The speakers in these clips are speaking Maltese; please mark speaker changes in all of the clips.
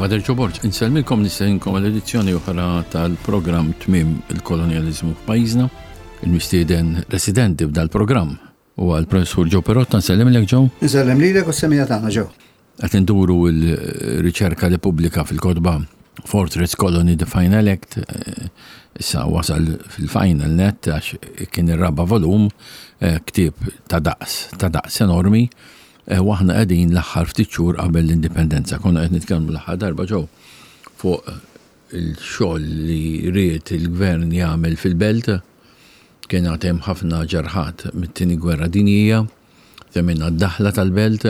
Speaker 1: Father Joe Borg, insellmilkom nistedinkom għal edizzjoni oħra tal-programm Tmiem il-Kolonjaliżmu f'pajjiżna. Il-mistieden residenti f'dal-programm huwa l-Professur Joe Perotta, nsellimlek Joe.
Speaker 2: Insellem lilek u s-semija tagħna Joe.
Speaker 1: Qed induru l-riċerka li pubblika fil-kotba Fortress Colony The Final Act, eh, issa wasal fil-final net għax kien ir-raba' volum, eh, ktieb ta' daqs, ta' daqs enormi, eh, u aħna qegħdin l-aħħar ftit xhur qabel l-indipendenza. Konna qed nitkellmu l-aħħar darba ġew fuq il-xogħol li ried il-gvern jagħmel fil-belt, kien għad hemm ħafna ġerħat mit-tieni gwerra dinjija. Semmejna d-daħla tal-belt.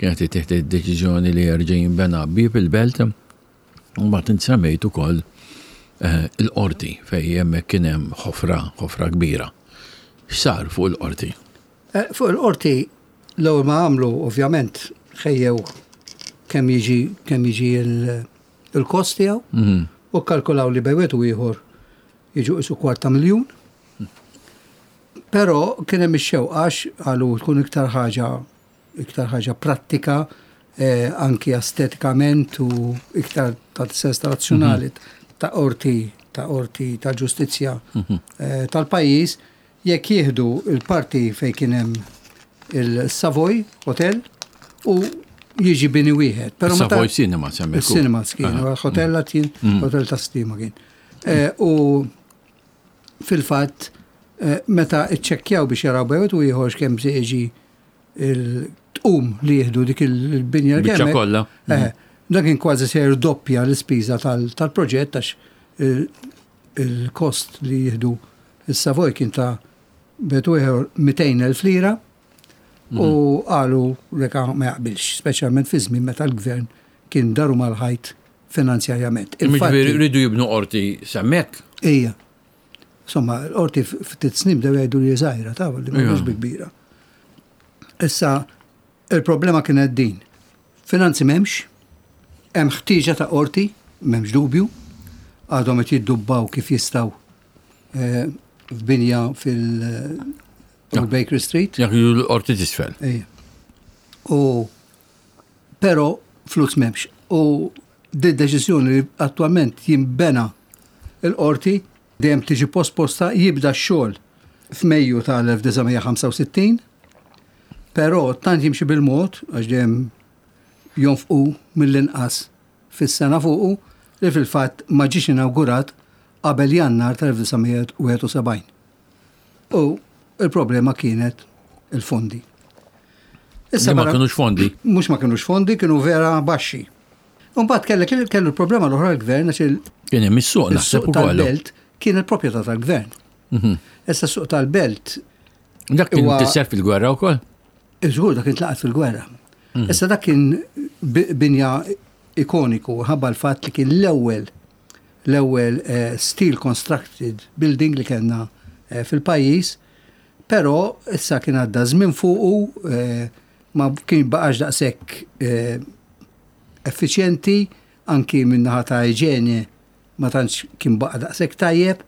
Speaker 1: Kienet ittieħdet id-deċiżjoni li jerġa' jinbena bieb il-belt. U mbagħad int semmejt ukoll eh, il-qorti fejn hemmhekk kien hemm ħofra, ħofra kbira. X'sar fuq il-qorti?
Speaker 2: Eh, fuq il-qorti l-ewwel ma għamlu ovvjament ħejjew kemm jiġi kemm jiġi il-kost tiegħu mhm. u kkalkulaw li bejwet u ieħor jiġu qisu kwarta miljun. Però kien hemm ix-xewqa għax qalu tkun iktar ħaġa iktar ħaġa prattika eh, anki estetikament u iktar ta' sens razzjonali mhm. ta' qorti ta' qorti ta' ġustizzja mhm. eh, tal-pajjiż jekk jieħdu il-parti fejn kien hemm il-Savoy Hotel u jiġi bini wieħed.
Speaker 1: Però Savoy Cinema
Speaker 2: semmi. Cinema kien, hotel kien, mhm. hotel ta' stima kien. Eh, u fil-fatt meta iċċekkjaw biex jaraw bejn u ieħor kemm se jiġi il-tqum li jieħdu dik il-binja
Speaker 1: l Biċċa kollha.
Speaker 2: Eh, dan kien kważi se jirdoppja l-ispiża tal-proġett għax il-kost li jieħdu il-Savoy kien ta' betu ieħor 200,000 lira u mhm. qalu reka ma jaqbilx, speċjalment fi żmien meta l-gvern kien daru mal-ħajt finanzjarjament.
Speaker 1: Jiġifieri rridu jibnu qorti s'hemmhekk?
Speaker 2: Ija. Insomma, l-qorti ftit snin bdew jgħidu li żgħira ta' li mhux bi kbira. Issa, il-problema kienet din. Finanzi m'hemmx, hemm ħtieġa ta' qorti, m'hemmx dubju, għadhom qed jiddubbaw kif jistgħu eh, f'binja fil- Baker Street.
Speaker 1: Jekk l-qorti tisfel.
Speaker 2: Ija. U Però flus m'hemmx. U di deċiżjoni li attwalment jinbena l-qorti dejjem tiġi posposta jibda x-xogħol f'Mejju tal-1965, però tant jimxi bil-mod għax dejjem jonfqu mill-inqas fis-sena fuqu li fil-fatt ma ġiex inawgurat qabel Jannar tal-1971. U il-problema kienet il-fondi.
Speaker 1: Issa ma kienux fondi.
Speaker 2: Mhux ma kienux fondi, kienu vera baxxi. Mbagħad kellek kellu l-problema l-oħra l-gvern għax il
Speaker 1: Kien hemm is-suq naħseb
Speaker 2: ukoll. Tal-belt kien il-proprjetà tal-gvern. Mhm. Issa s-suq tal-belt.
Speaker 1: Dak kien tisser fil-gwerra wkoll?
Speaker 2: Iżgur dak kien tlaqat fil-gwerra. Mhm. Issa dak kien binja ikoniku ħabba l-fatt li kien l-ewwel l-ewwel eh, steel constructed building li kellna eh, fil-pajjiż, però issa kien għadda żmien fuqu eh, ma kien baqax daqshekk effiċjenti anki minn naħa ta' iġene ma tantx kien baqa' daqshekk tajjeb,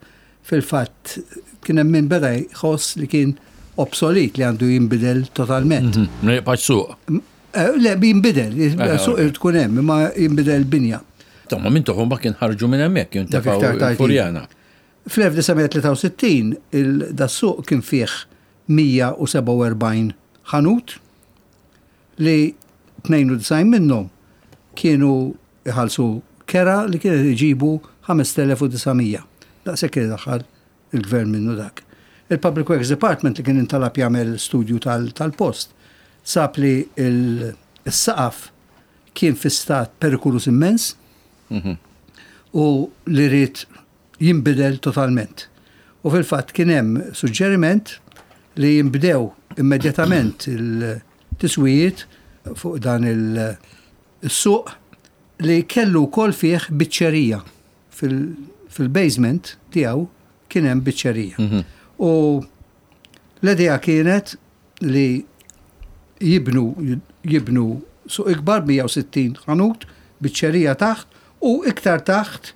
Speaker 2: fil-fatt kien hemm min beda jħoss li kien obsolit li għandu jinbidel totalment.
Speaker 1: Mhm, ma jibqax suq.
Speaker 2: Eh, le, jinbidel, eh, suq irid tkun hemm, imma jinbidel binja.
Speaker 1: Tomma minn toħom ma kien ħarġu minn hemmhekk, kien tefgħu Furjana.
Speaker 2: Fl-1963 il-dassuq kien fih 147 ħanut li 92 minnhom kienu iħallsu kera li kienet iġibu 5900. Daqshekk kien idaħħal il-gvern minnu dak. Il-Public Works Department li kien intalab jagħmel studju tal-post sab li s-saqaf kien fi stat perikoluż immens mhm. u li ried jinbidel totalment. U fil-fatt kien hemm suġġeriment li jinbdew immedjatament il-tiswijiet fuq dan il-suq li kellu wkoll fih biċċerija. Fil-basement tiegħu kien hemm biċċerija. Mhm. U l-idea kienet li jibnu jibnu suq ikbar 160 ħanut, biċċerija taħt u iktar taħt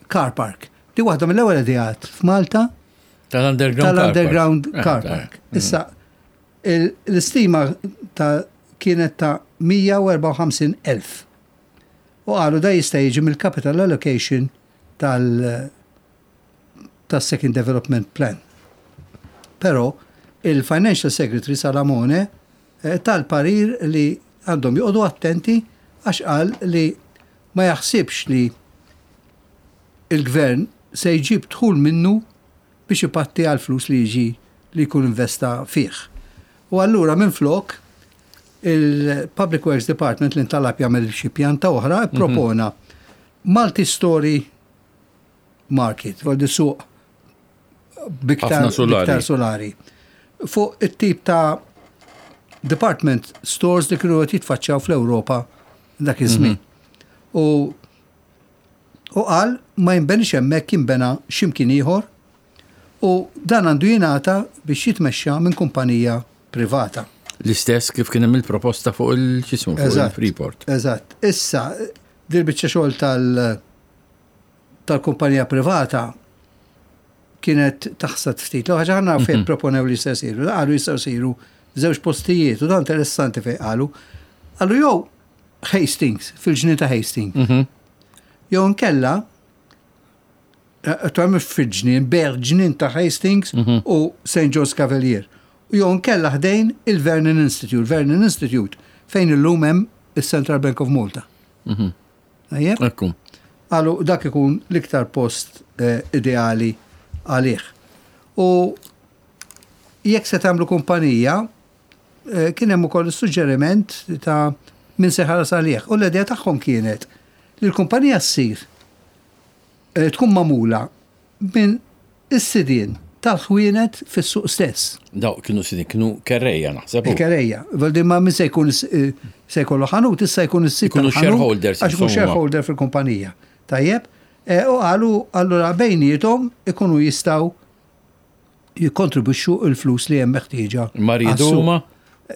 Speaker 2: car park. Di waħda mill-ewwel ideat f'Malta
Speaker 1: tal-underground
Speaker 2: tal-underground eh, car park. Eh. Issa l-istima ta' kienet ta' 154,000. U qalu da jista' jiġi mill-capital allocation tal tas-Second Development Plan. Però il-Financial Secretary Salamone eh, tal-parir li għandhom joqogħdu attenti għax qal li ma jaħsibx li il-gvern se jġib dħul minnu biex ipatti għal flus li jiġi li jkun investa fih. U allura minflok il-Public Works Department li ntalab jagħmel xi pjanta oħra ppropona multi-story market, voldi suq biktar solari. solari. Fuq it-tip ta' department stores li kienu qed jitfaċċaw fl-Ewropa dak iż-żmien. Mhm. U u qal ma jinbenix hemmhekk jinbena x'imkien ieħor u dan għandu jingħata biex jitmexxa minn kumpanija privata.
Speaker 1: L-istess kif kien hemm il-proposta fuq il-ċismu fuq il-Freeport.
Speaker 2: Eżatt. Issa, dil-biċċa xogħol tal- tal-kumpanija privata kienet taħsad ftit. L-ħaġa ħana fejn mhm. proponew li jistgħu jsiru. Qalu jistgħu jsiru żewġ postijiet u dan interessanti fejn qalu. Qalu jew Hastings, fil-ġnien ta' Hastings. Mhm. Jew nkella eh, ta' mhux fil-ġnien, ber ġnien ta' Hastings mhm. u St. George Cavalier. U jew nkella ħdejn il-Vernon Institute, Vernon Institute fejn illum hemm is-Central Bank of Malta. Mhm. Tajjeb?
Speaker 1: Ekku.
Speaker 2: Qalu dak ikun l-iktar post eh, ideali għalih. U jekk se tagħmlu kumpanija, eh, kien hemm ukoll suġġeriment ta' min se ħares għalih. U l-idea tagħhom kienet li l-kumpanija ssir eh, tkun magħmula minn is-sidien tal-ħwienet fis-suq stess.
Speaker 1: Daw kienu sidien, kienu kerrejja naħseb.
Speaker 2: Kerrejja. Valdi ma min se jkun eh, se jkollu ħanut, issa jkun is-sid.
Speaker 1: Ikunu shareholders.
Speaker 2: Għax ikun shareholder fil-kumpanija. Tajjeb, eh, u qalu allura bejniethom ikunu jistgħu jikkontribwixxu l-flus li hemm meħtieġa.
Speaker 1: Ma riedu huma?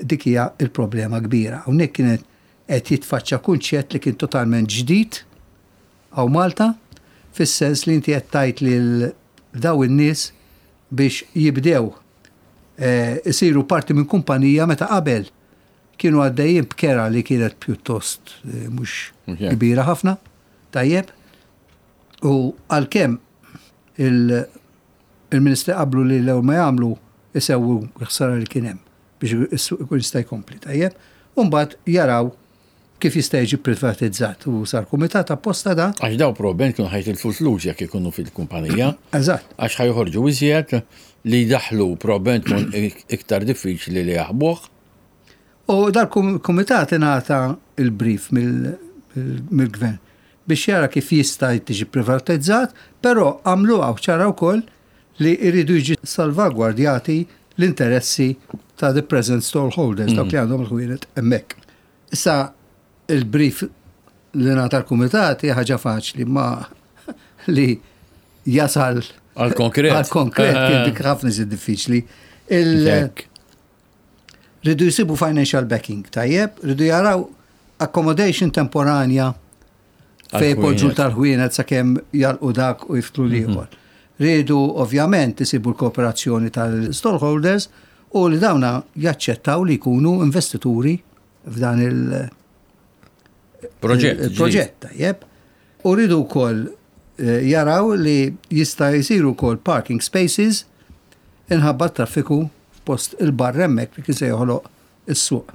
Speaker 2: Dik hija l-problema kbira. Hawnhekk kienet qed jitfaċċa kunċett li kien totalment ġdid hawn Malta, fis-sens li inti qed tgħid lil daw in-nies biex jibdew eh, isiru parti minn kumpanija meta qabel kienu għaddejjin b'kera li kienet pjuttost eh, mhux kbira ħafna, tajjeb. U għalkemm il-Ministri qablu li l-ewwel ma jagħmlu isewwu l-ħsara li kien hemm biex is-suq ikun jista' jkompli, tajjeb. U mbagħad jaraw kif jista' jiġi privatizzat u sar kumitat apposta da.
Speaker 1: Għax daw probabbilment kienu ħa jitilfu l-flus jekk ikunu fil-kumpanija.
Speaker 2: Eżatt.
Speaker 1: Għax ħa joħorġu iżjed li jdaħħlu probabbilment tkun iktar diffiċli li jaħbuh.
Speaker 2: U dal-kumitat ingħata il-brief mill-gvern biex jara kif jista' tiġi privatizzat, però għamluha ċara wkoll li jridu jiġi salvagwardjati l-interessi ta' the present stallholders, dawk li għandhom il-ħwienet hemmhekk. Issa il-brief li ngħata l-kumitat hija ħaġa faċli ma li jasal
Speaker 1: għal konkret.
Speaker 2: Għal konkret kien eh. dik ħafna iżid diffiċli. Ridu jsibu financial backing, tajjeb, ridu jaraw accommodation temporanja fej poġġu tal-ħwienet sakemm jalqu dak u jiftlu mhm. l-ieħor. Ridu ovvjament isibu l-kooperazzjoni tal-stockholders u li dawna jaċċettaw li jkunu investituri f'dan il-
Speaker 1: Proġett.
Speaker 2: Il-proġett, tajjeb. U rridu wkoll eh, jaraw li jista' jsiru wkoll parking spaces inħabba traffiku f'post il-barra hemmhekk li kien se joħloq is-suq.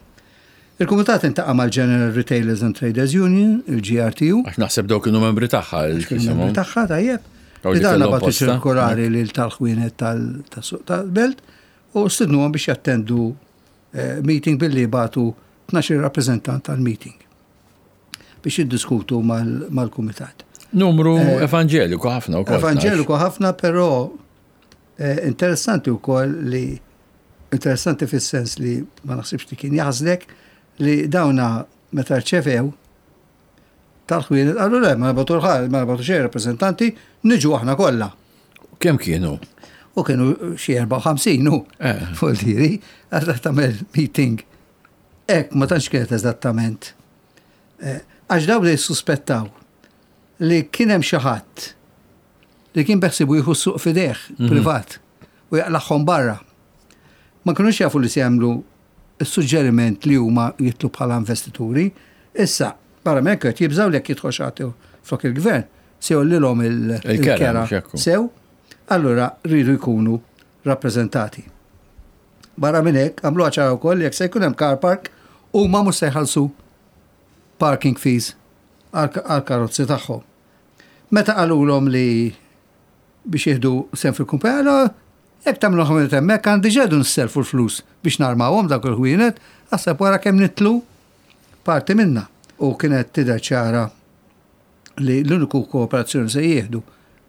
Speaker 2: Il-Kumitat intaqa' mal-General Retailers and Traders Union, il-GRTU.
Speaker 1: Għax naħseb dawk kienu membri tagħha.
Speaker 2: Kienu membri tagħha, tajjeb. Li dan bagħtu ċirkolari lil tal-ħwienet tas-suq tal-belt u stidnuhom biex jattendu eh, meeting billi bagħtu 12 rappreżentant tal-meeting biex jiddiskutu mal-kumitat.
Speaker 1: Numru eh, evanġeliku ħafna
Speaker 2: wkoll. Evanġeliku ħafna, però eh, interessanti wkoll li interessanti fis-sens li ma naħsibx li kien jaħżlek li dawna meta rċevew tal-ħwienet qalu le, ma nabatu l-ħal, ma nabatu xejn rappreżentanti, niġu aħna kollha.
Speaker 1: Kemm kienu?
Speaker 2: U kienu xi 54 u eh. fuldiri, għadha tagħmel meeting. Ek, ma tantx kienet eżattament. Eh, għax daw li suspettaw li kien hemm xi ħadd li kien beħsibu jieħu suq fideh mhm. privat u jaqlaħħom barra. Ma kinux jafu li se jagħmlu s-suġġeriment li huma jitlu bħala investituri. Issa, Barra minn hekk qed jibżgħu li jekk jidħol xi ħadd flok il-gvern se jgħollilhom il-kera sew, allura rridu jkunu rappreżentati. Barra minn hekk għamluha ċara wkoll li jekk se jkun hemm car park huma mhux se jħallsu parking fees għall-karozzi tagħhom. Meta qalulhom li biex jieħdu sehem fil-kumpanija, jekk tagħmlu ħwienet hemmhekk għandi ġedu nisselfu l-flus biex narmawhom dawk il-ħwienet, aħseb wara kemm nitlu parti minnha. U kienet tidher ċara li l-uniku kooperazzjoni se jieħdu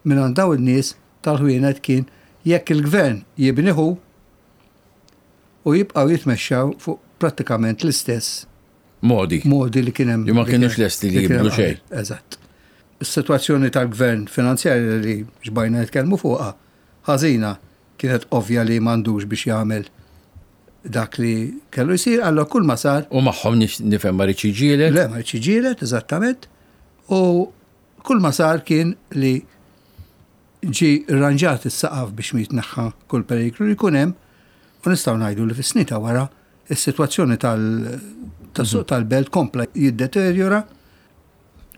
Speaker 2: mingħand dawn in-nies tal-ħwienet kien jekk il-gvern jibni hu u jibqgħu jitmexxew fuq prattikament l-istess
Speaker 1: modi.
Speaker 2: Modi li kien hemm.
Speaker 1: Li ma kienux lesti li jibdlu xejn.
Speaker 2: Eżatt. Is-sitwazzjoni tal-gvern finanzjarja li xbajna nitkellmu fuqha ħażina kienet ovvja li m'għandux biex jagħmel dak li kellu jsir, allora kull ma sar.
Speaker 1: U magħhom nifhem ma rridx jiġġieled?
Speaker 2: Le, ma rridx jiġġieled, eżattament. U kull ma sar kien li ġi rranġat is-saqaf biex ma jitneħħa kull periklu li jkun hemm u nistgħu ngħidu li fis-snin ta' wara is-sitwazzjoni tas-suq tal-belt kompla jiddeterjora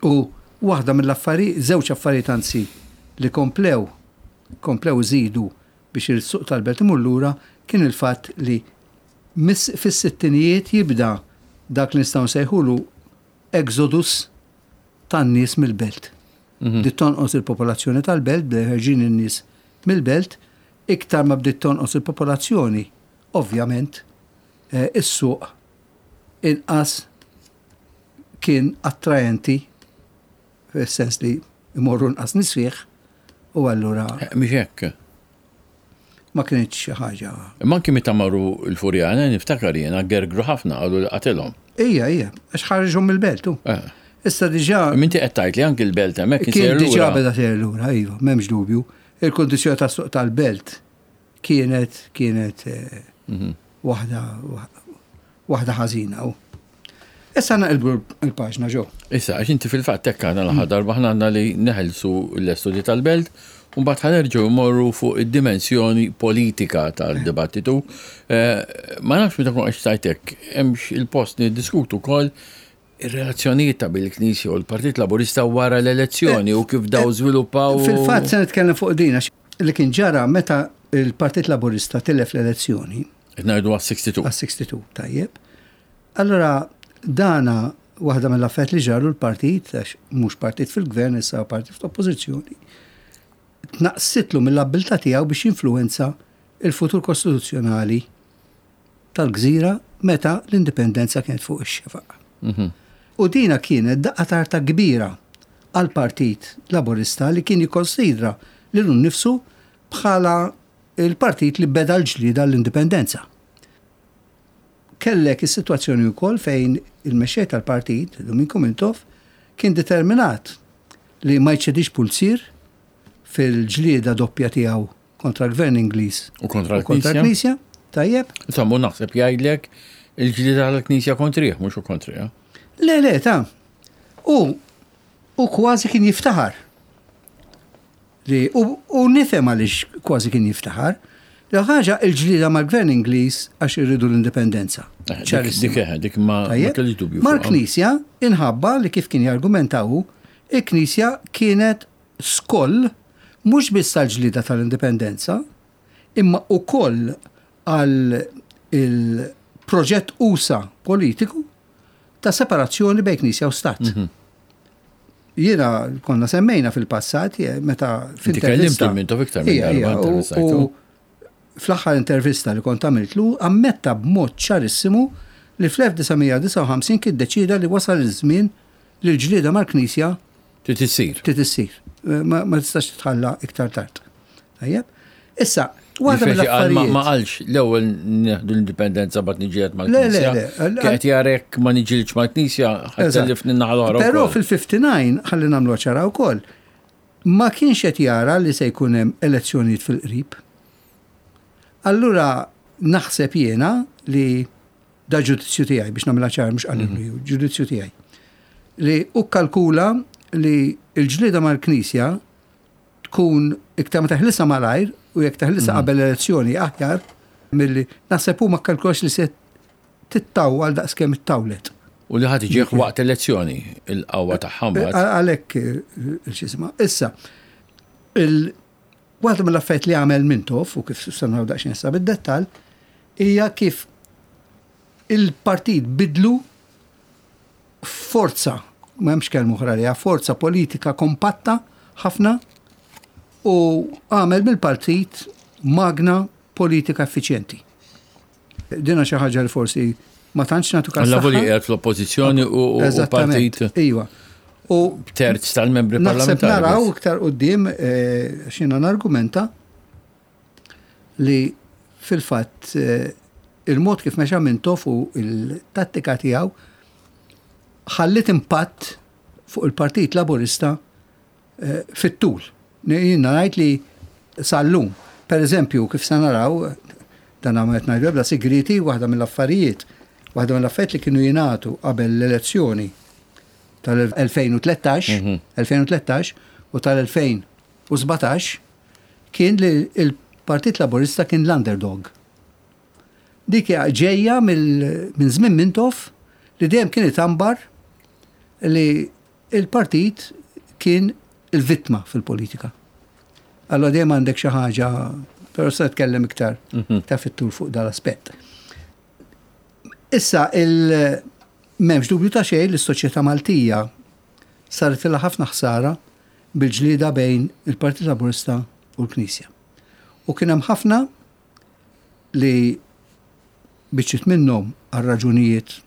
Speaker 2: u waħda mill-affarijiet, żewġ affarijiet anzi li komplew komplew iżidu biex is-suq tal-belt imur lura kien il-fatt li fis-sittinijiet jibda dak li nistgħu nsejħulu exodus tan-nies mill-belt. Bdiet tonqos il-popolazzjoni tal-belt, bdew ħerġin in-nies mill-belt, iktar ma bdiet tonqos il-popolazzjoni, ovvjament, is-suq inqas kien attraenti fis-sens li jmorru nqas nies fih u allura.
Speaker 1: Mhix hekk.
Speaker 2: Ma kinitx xi ħaġa.
Speaker 1: Imma anki meta marru l-Furjana niftakar jiena gergru ħafna qalu li qatilhom.
Speaker 2: Ija, ija, għax ħarġhom mill-belt hu. Eh. Issa diġà.
Speaker 1: Imma inti qed tgħid li anki l-belt hemmhekk
Speaker 2: kien sejjer lura. Kien diġà beda sejjer lura, iva, m'hemmx dubju. Il-kundizzjoni tas-suq tal-belt kienet kienet eh, mhm. waħda waħda ħażina u. Issa naqilbu l-paġna ġo.
Speaker 1: Issa, għax inti fil-fatt hekk għandna l-aħħar darba aħna għandna li neħelsu l-estudji tal-belt u mbagħad ħanerġgħu mmorru fuq id-dimensjoni politika tal-dibattitu. Eh, ma nafx meta kun qed tajtek, hemmx il-post niddiskutu wkoll ir-relazzjonijiet ta' bil-Knisja u l-Partit Laburista wara l-elezzjoni u kif daw eh, żviluppaw.
Speaker 2: Fil-fatt se nitkellem fuq din għax li kien ġara meta il-Partit Laburista tilef l-elezzjoni.
Speaker 1: Qed ngħidu għas-62.
Speaker 2: Għas-62, tajjeb. Allura dana waħda mill-affarijiet li ġralu l-partit, għax mhux partit fil-gvern issa partit fl-oppożizzjoni, tnaqqsitlu mill-abbiltà tiegħu biex jinfluwenza il-futur kostituzzjonali tal-gżira meta l-indipendenza kienet fuq ix-xefaq. Mhm. U dina kienet daqqa tarta kbira għal partit Laburista li kien jikkonsidra lilu nnifsu bħala il-partit li beda l-ġlieda l-indipendenza. Kellek is-sitwazzjoni wkoll fejn il-mexxej tal-partit, Duminku Mintoff, kien determinat li ma jċedix pulzier fil-ġlieda doppja tiegħu kontra l-Gvern Ingliż
Speaker 1: u kontra l-Knisja.
Speaker 2: Tajjeb.
Speaker 1: Insomma, naħseb jgħidlek il-ġlieda tal-Knisja kontrih, mhux u kontrih.
Speaker 2: Le, le, ta' u u kważi kien jiftaħar Li, u, u nifhem għaliex kważi kien jiftaħar. L ħaġa il-ġlieda mal-gvern Ingliż għax irridu l-indipendenza.
Speaker 1: Eh, dik, eh, dik ma kellix dubju.
Speaker 2: Mal-Knisja inħabba li kif kien jargumenta hu, il-Knisja kienet skoll mhux biss għall-ġlieda tal-indipendenza, imma ukoll għal il-proġett usa politiku ta' separazzjoni bejn Knisja u Stat. Mhm. Jiena konna semmejna fil-passat meta
Speaker 1: fil-intervista. Kellimtu iktar minn darba
Speaker 2: U fl-aħħar intervista li kont għamiltlu ammetta b'mod ċarissimu li fl-1959 kien deċida li wasal iż-żmien li l-ġlieda mal-Knisja
Speaker 1: Trid issir.
Speaker 2: Trid issir. Ma tistax titħalla iktar tard. Tajjeb? Issa,
Speaker 1: waħda mill-affarijiet. Ma qalx l-ewwel nieħdu l-indipendenza bad niġiet mal-Knisja. Le, le, le. Qed jarek ma niġilx mal-Knisja ħadd naħa
Speaker 2: l-oħra. Però fil-59 ħalli nagħmlu ċara wkoll. Ma kienx qed jara li se jkun hemm elezzjonijiet fil-qrib. Allura naħseb jiena li Da ġudizzju tiegħi biex nagħmilha ċar mhux qalillu mhm. ju, ġudizzju tiegħi. Li u kalkula li l-ġlieda mal-Knisja tkun iktar ma teħlisa malajr u jekk teħlisa mhm. qabel elezzjoni aħjar milli naħseb hu ma kkalkulax li se tittawwal daqskemm ittawlet.
Speaker 1: U li ħadd iġieħ waqt elezzjoni il-qawwa tagħha mbagħad.
Speaker 2: Għalhekk x'isma. Issa, waħda mill-affarijiet li għamel Mintoff u kif se naraw daqsxejn issa bid-dettall hija kif il-partit bidlu forza, ma hemmx kelma oħra għaliha, forza politika kompatta ħafna u għamel mill-partit magna politika effiċjenti. Dina xi ħaġa li forsi ma tantx nagħtu
Speaker 1: każ. Alla voli qiegħed fl-oppożizzjoni u partit.
Speaker 2: Iva.
Speaker 1: U terz tal-membri parlamentari.
Speaker 2: Naħseb naraw iktar quddiem eh, x'jiena nargumenta li fil-fatt eh, il-mod kif mexa Mintoff u il-tattika tiegħu ħallit impatt fuq il-Partit Laburista eh, fit-tul. Jiena ngħid li sal-lum. Per eżempju, kif se naraw, dan għamet ngħidu ebda sigriti, waħda mill-affarijiet, waħda mill-affarijiet li kienu jingħatu qabel l-elezzjoni tal-2013, 2013 u tal-2017 kien li l-Partit Laburista kien l-underdog. Dik hija ġejja minn żmien Mintoff li dejjem kien itambar li il-partit kien il-vittma fil-politika. Allora dejjem għandek xi ħaġa, però se nitkellem iktar mhm. ta' fit-tul fuq dal-aspett. Issa il m'hemmx dubju ta' xejn li s-soċjetà Maltija saret ilha ħafna ħsara bil-ġlieda bejn il-Partit Laburista u l-Knisja. U kien hemm ħafna li biċċiet minnhom għal raġunijiet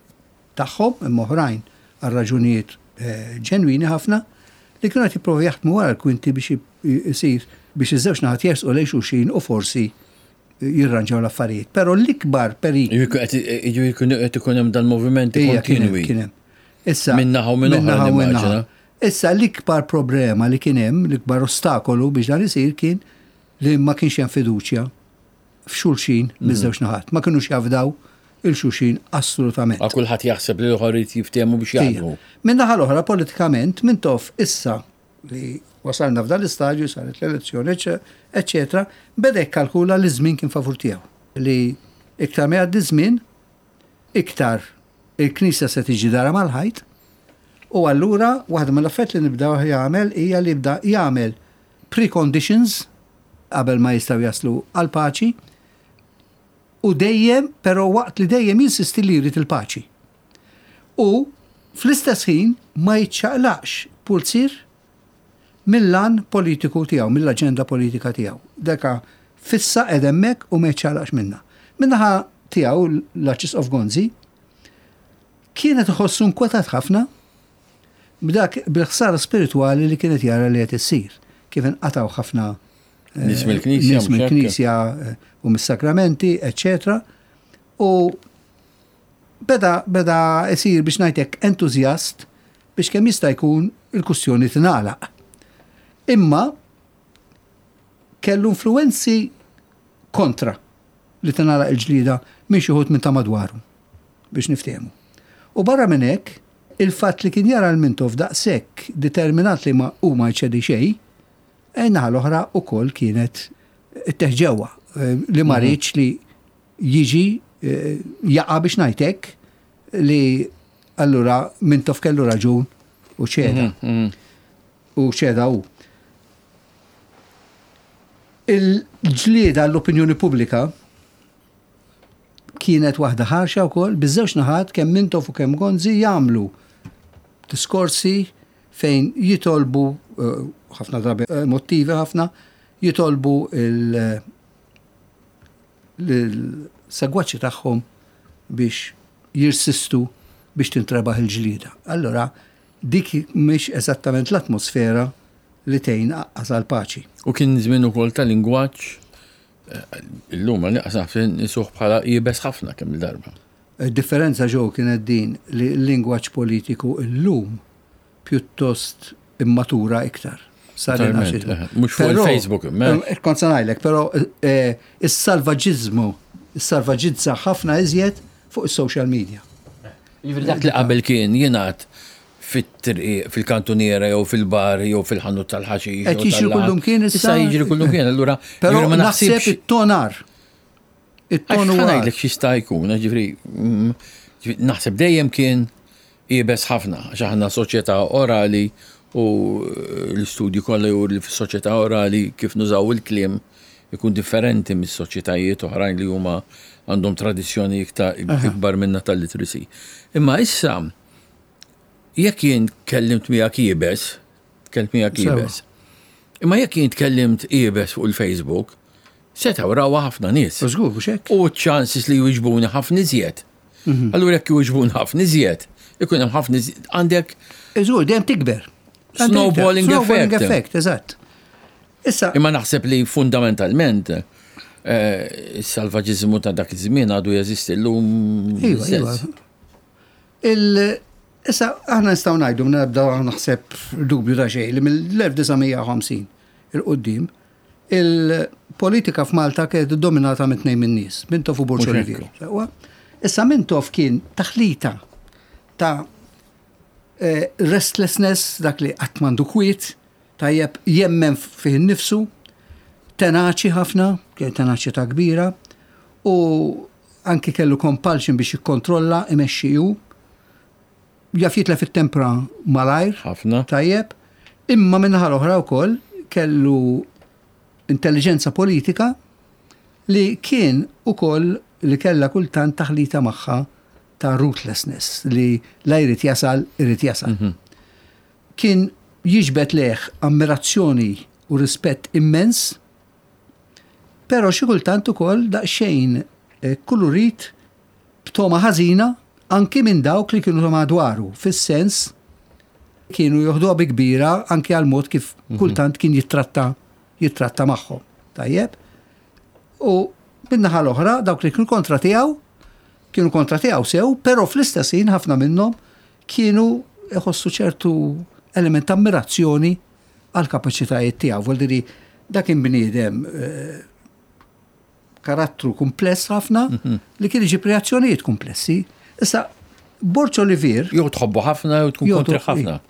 Speaker 2: tagħhom imma oħrajn għal raġunijiet eh, ġenwini ħafna li kienu qed jipprovaw jaħdmu wara l-kwinti biex isir biex iż-żewġ naħat jersqu lejn xulxin u forsi jirranġaw l-affarijiet. Però l-ikbar periklu.
Speaker 1: Jiġifieri qed ikun hemm dal-movimenti kontinwi.
Speaker 2: Kien hemm. Issa.
Speaker 1: Minn naħa u minn oħra.
Speaker 2: Issa l-ikbar problema li kien hemm, l-ikbar ostakolu biex dan isir kien li ma kienx hemm fiduċja f'xulxin mhm. miż-żewġ naħat. Ma kinux jafdaw il-xulxin assolutament.
Speaker 1: Għal kulħadd jaħseb li l-oħra jrid jiftehmu biex jaħdmu.
Speaker 2: Minn naħa l-oħra politikament Mintoff issa li wasalna f'dan l-istadju saret l-elezzjoni, eċċetera, beda jikkalkula li żmien kien favur tiegħu. Li iktar ma jgħaddi żmien, iktar il-Knisja se tiġi dara mal-ħajt, u allura waħda mill-affarijiet li nibda jagħmel hija li jibda jagħmel preconditions qabel ma jistgħu jaslu għal paċi u dejjem, però waqt li dejjem jinsisti li jrid il-paċi. U fl-istess ħin ma jiċċaqlaqx pulzier mill-għan politiku tiegħu, mill-aġenda politika tiegħu. Deka fissa qed hemmhekk u ma jiċċaqlaqx minnha. Min-naħa tiegħu l-Arċisqof Gonzi kienet iħossu nkwetat ħafna b'dak bil-ħsara spiritwali li kienet jara li qed issir, kif inqatgħu ħafna
Speaker 1: eh, nies mill-knisja,
Speaker 2: nies mill-knisja eh, u mis-sakramenti, eċċetera. U beda beda isir biex ngħidlek entużjast biex kemm jista' jkun il-kustjoni tingħalaq. Imma kellu influenzi kontra li tingħalaq il-ġlieda minn xi wħud minn ta' madwaru biex niftehmu. U barra minn hekk, il-fatt li kien jara l-Mintoff daqshekk determinat li ma hu ma jċedi xejn, in-naħa l-oħra wkoll kienet itteħ ġewwa eh, li ma mhm. riedx li jiġi eh, jaqa' biex ngħid hekk li allura Mintoff kellu raġun u ċeda. Mhm, mhm. U ċeda hu. Il-ġlieda l-opinjoni pubblika kienet waħda ħarxa wkoll biż-żewġ naħat kemm Mintoff u kemm Gonzi jagħmlu diskorsi fejn jitolbu eh, ħafna drabi emotivi ħafna jitolbu il- l-segwaċi tagħhom biex jirsistu biex tintrebaħ il-ġlieda. Allora, dik mhix eżattament l-atmosfera li tgħin aqqas għall-paċi.
Speaker 1: U kien żmien ukoll ta' lingwaġġ eh, illum għal naqas nisuh bħala iebes ħafna kemm il-darba.
Speaker 2: Id-differenza ġew kienet din li l-lingwaġġ politiku illum pjuttost immatura iktar.
Speaker 1: Sar eh, Mhux fuq il-Facebook.
Speaker 2: Eh, kont se ngħidlek, però eh, is-salvaġiżmu, is-salvaġizza ħafna iżjed fuq is-social media.
Speaker 1: Jiġifieri dak li qabel kien jingħad fit-triq, fil-kantuniera jew fil-bar jew fil-ħanut tal-ħaxix.
Speaker 2: Qed jiġri kullum kien
Speaker 1: issa. Issa jiġri kullum kien, allura.
Speaker 2: Però ma naħseb it-tonar.
Speaker 1: It-tonu. Ngħidlek x'jista' jkun, ġifieri mm, naħseb dejjem kien. iebes ħafna, għax aħna soċjetà orali u l-istudji kollha juru li fis-soċjetà orali kif nużaw il-kliem ikun differenti mis-soċjetajiet oħrajn li huma għandhom tradizzjoni iktar ikbar minna tal-literacy. Imma issa jekk jien tkellimt miegħek iebes, tkellimt miegħek iebes. Imma jekk jien tkellimt iebes fuq il-Facebook, setgħu rawha ħafna nies.
Speaker 2: Żgur, mhux hekk?
Speaker 1: U ċ-chances li jwiġbuni ħafna iżjed. Mhm. Allura jekk jwiġbuni ħafna iżjed, ikun hemm ħafna iżjed għandek.
Speaker 2: Żgur, dejjem tikber.
Speaker 1: Snowballing effect.
Speaker 2: Snowballing effect, eżatt.
Speaker 1: Issa. Imma naħseb li fundamentalment eh, is-salvaġiżmu ta' dak iż-żmien għadu jeżisti llum.
Speaker 2: Iva, iva. Issa aħna nistgħu ngħidu minn ebda naħseb dubju ta' xejn li mill-1950 il-qudiem il-politika f'Malta kienet dominata minn tnejn min-nies, Mintoff u Borg Olivier. Issa Mintoff kien taħlita ta' eh, restlessness, dak li qatt m'għandu kwiet, tajjeb jemmen fih innifsu, tenaċi ħafna, kien tenaċità kbira, u anki kellu compulsion biex jikkontrolla, imexxi hu. Jaf jitlef it-tempra malajr.
Speaker 1: Ħafna.
Speaker 2: Tajjeb. Imma min-naħa l-oħra wkoll kellu intelliġenza politika li kien ukoll li kellha kultant taħlita magħha ta' ruthlessness li la jrid jasal, irid jasal. Mhm. Kien jiġbed lejh ammirazzjoni u rispett immens, però xi kultant ukoll daqsxejn kulurit b'togħma ħażina anki minn dawk li kienu ta' madwaru, fis-sens kienu joħduha bi kbira anki għal mod kif mhm. kultant kien jittratta jittratta magħhom. Tajjeb? U min-naħa l-oħra dawk li kienu kontra tiegħu kienu kontra tiegħu sew, però fl-istess ħin ħafna minnhom kienu iħossu ċertu element ta' ammirazzjoni għal kapaċitajiet tiegħu. Vuol dak kien bniedem eh, karattru kumpless ħafna mhm. li kien iġib reazzjonijiet kumplessi. Issa, Borċ Olivier.
Speaker 1: Jew tħobbu ħafna jew tkun kontri ħafna.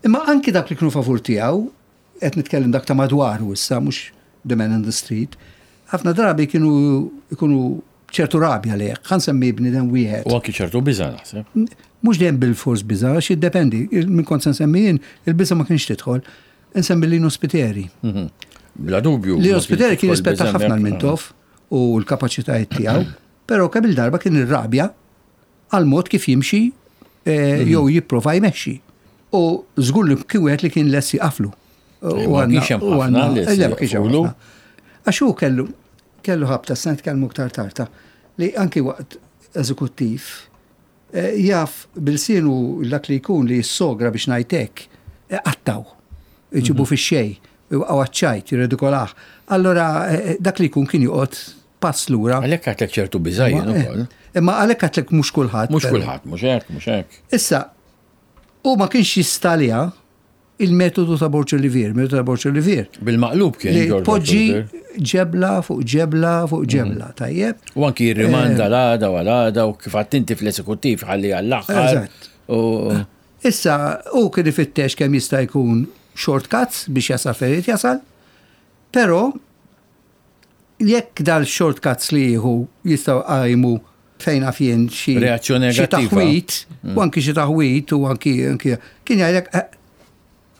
Speaker 2: Imma anki dak li kienu favur tiegħu, qed nitkellem dak ta' madwaru issa mhux the man in the street, ħafna drabi kienu ikunu ċertu rabja li ħa nsemmi bniedem wieħed.
Speaker 1: U anki ċertu biża' naħseb.
Speaker 2: Mhux dejjem bil-fors biża' għax jiddependi, minn kont se nsemmi jien, il-biża' ma kienx tidħol. Insemmi Lino Spiteri.
Speaker 1: Mhm. Bla dubju.
Speaker 2: Lino Spiteri kien rispetta ħafna l-Mintoff u l-kapaċitajiet tiegħu, però kemm il-darba kien irrabja għal mod kif jimxi eh, mhm. jew jipprova jmexxi. U żgur li kien wieħed li kien lest jaqaflu.
Speaker 1: U għandna u għandna
Speaker 2: Għax hu kellu kellu ħabta s nitkellmu iktar tarta li anki waqt eżekuttiv eh, jaf bil-sienu dak li jkun li jissogra biex ngħidlek eh, qattaw, iġibu mhm. fix-xejn, iwaqgħu għaċ-ċajt, jirredikolah. Allora eh, dak li jkun kien joqgħod pass lura.
Speaker 1: Għalhekk għatlek ċertu biżajjen ukoll.
Speaker 2: Imma għalhekk għatlek mhux kulħadd.
Speaker 1: Mhux kulħadd, mhux hekk, mhux hekk.
Speaker 2: Issa, u ma kienx jistalja il-metodu ta' Borg Olivier, metodu ta' Borg Olivier.
Speaker 1: Bil-maqlub kien.
Speaker 2: Li poġġi ġebla fuq ġebla fuq mhm. ġebla, tajjeb.
Speaker 1: U anki jirrimanda eh. l-għada u għal-għada u kif għattinti fl-esekuttiv ħalli għall-aħħar.
Speaker 2: Eżatt. Issa, u kien ifittex kemm jista' jkun shortcuts biex jasal fejn jasal, però jekk dal-shortcuts li jieħu jistgħu qajmu fejn naf jien xi
Speaker 1: reazzjoni
Speaker 2: negattiva. Taħwit, mm. u anki xi taħwit u anki anki kien jgħidlek eh,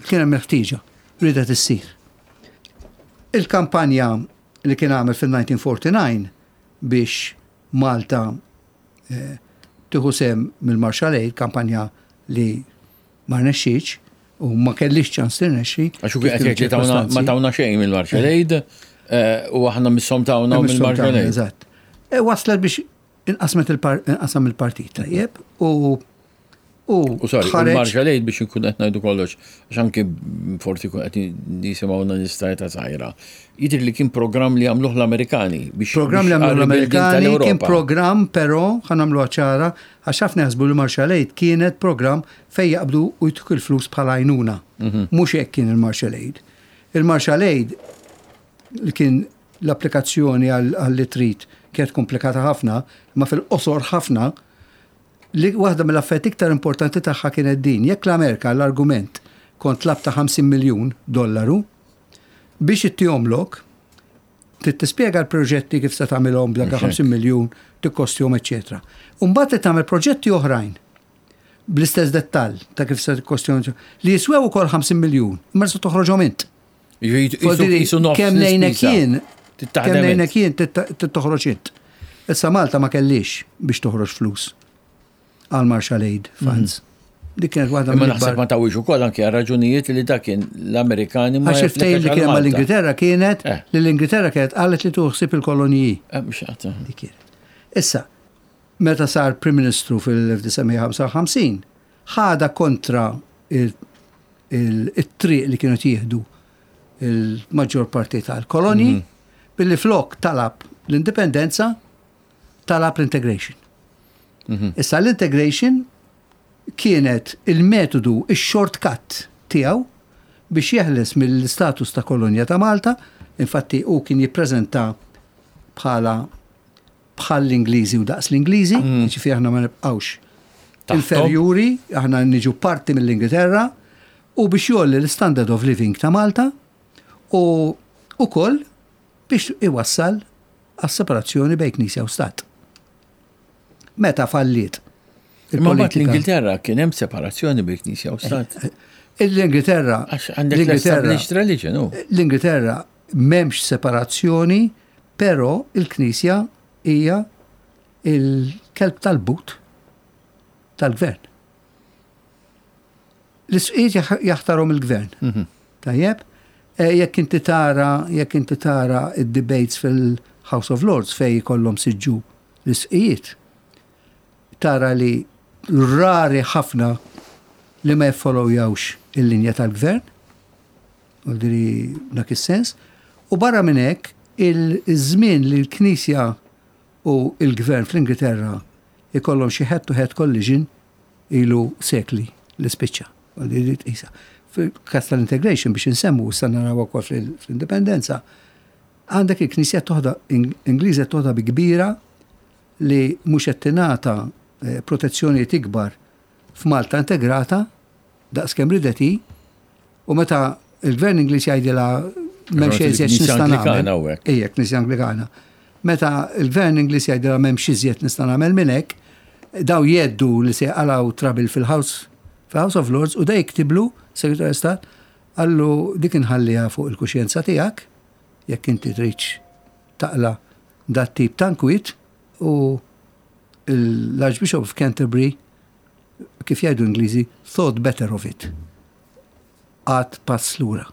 Speaker 2: kien hemm il-ħtieġa ridet issir. Il-kampanja li kien għamel fil-1949 biex Malta eh, tieħu sem mill-Marshall Aid, kampanja li ma rnexxietx u ma kellix ċans tirnexxi.
Speaker 1: Għax u qed jgħid li ma tawna xejn mill-Marshall Aid eh, u aħna misshom tawna mill-Marshall Aid.
Speaker 2: Eżatt. E waslet biex inqasmet inqasam il-partit tajjeb u
Speaker 1: U sorry, il-Marshall Aid biex nkun qed ngħidu kollox, għax anki forsi kun qed jisimgħuna nies ta' żgħira. Jidher li kien programm li għamluh l-Amerikani
Speaker 2: biex. Programm li għamluh l-Amerikani kien programm però ħa nagħmluha ċara għax ħafna jaħsbu li Marshall Aid kienet programm fejn jaqbdu u jtuk il-flus bħala għajnuna. Mhm. Mhux hekk kien il-Marshall Aid. Il-Marshall Aid li kien l-applikazzjoni għal trid kienet komplikata ħafna, ma fil-qosor ħafna, li waħda mill-affarijiet iktar importanti tagħha kienet din. Jekk l-Amerika l-argument kont tlabt ta' 50 miljun dollaru, biex ittihomlok, trid tispjega l-proġetti kif se tagħmilhom b'dak 50 miljun, tikkostjhom, eċċetera. U mbagħad trid tagħmel proġetti oħrajn. Bl-istess dettall ta' kif se tikkostjoni li jiswew ukoll 50 miljun, imma se toħroġhom int. Kemm ngħinek jien, kemm ngħinek jien toħroġ int. Issa Malta ma kellix biex toħroġ flus għal Marshall Aid Funds.
Speaker 1: Dik kienet waħda mill naħseb ma tawix ukoll anke għal raġunijiet li dak kien l-Amerikani
Speaker 2: ma Għax il-ftehim li kien mal-Ingilterra kienet eh. li l-Ingilterra kienet qalet li tuħsib il-koloniji.
Speaker 1: Eh, mhux
Speaker 2: Dik kienet. Issa, meta sar Prim Ministru fil-1955, ħadha kontra it-triq li kienu jieħdu il-maġġor parti tal-kolonji, billi flok talab l-indipendenza, talab l-integration. Issa l-integration kienet il-metodu, il-shortcut tiegħu biex jeħles mill-status ta' kolonja ta' Malta, infatti hu kien jippreżenta bħala bħal l-Ingliżi u daqs l-Ingliżi, mm. ġifieri aħna ma nibqgħux inferjuri, aħna niġu parti mill-Ingilterra, u biex jolli l-standard of living ta' Malta u ukoll biex iwassal għas-separazzjoni bejn Knisja u Stat. Meta falliet.
Speaker 1: Imma mbagħad l-Ingilterra kien hemm separazzjoni bejn Knisja u Stat. Eh,
Speaker 2: eh, L-Ingilterra.
Speaker 1: Għax għandek l-established religion.
Speaker 2: L-Ingilterra m'hemmx separazzjoni Però il-Knisja hija il-kelb tal-but tal-gvern. L-isqiet jaħtarhom il-gvern. Mhm. Tajjeb? E, jekk inti tara, jekk inti tara id-debates fil-House of Lords fej jkollhom siġġu l-isqijiet, tara li rari ħafna li ma jiffollowjawx il-linja tal-gvern, Vuol dak is-sens. U barra minn hekk, il-żmien li l-Knisja u l-Gvern fl-Ingilterra ikollhom xi head to head collision ilu sekli li spiċċa. Vuol tqisha. Fil-każ tal-integration biex insemmu issa naraw ukoll fl-indipendenza, għandek il-Knisja toħda Ingliża toħda bi kbira li mhux qed tingħata eh, protezzjonijiet ikbar f'Malta integrata daqskemm ridet hi U meta il-gvern Ingliż jgħidilha m'hemm xejn iżjed x'nista' nagħmel. Ejja, Knisja Anglikana. Meta il-gvern Ingliż jgħidilha m'hemm iżjed nista' nagħmel minn hekk, daw jeddu li se jqalgħu trabil fil-House fil-House of Lords u da jiktiblu Segretarju Stat qallu dik inħalliha fuq il-kuxjenza tiegħek jekk inti tridx taqla dat tip ta' nkwiet u l-Archbishop of Canterbury kif jgħidu Ingliżi thought better of it. Qagħad pass lura.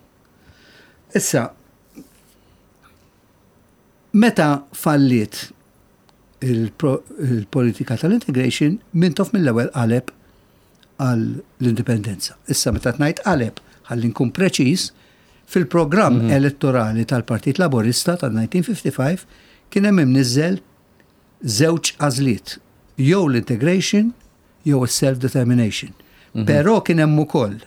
Speaker 2: Issa, meta falliet il-politika tal-integration, Mintoff mill-ewwel qaleb għall-indipendenza. Issa meta tnajt qaleb, ħalli nkun preċiż, fil-programm mm -hmm. elettorali tal-Partit Laborista tal-1955 kien hemm imniżżel żewġ għażliet, jew l-integration jew is-self determination. Mm -hmm. Però kien hemm ukoll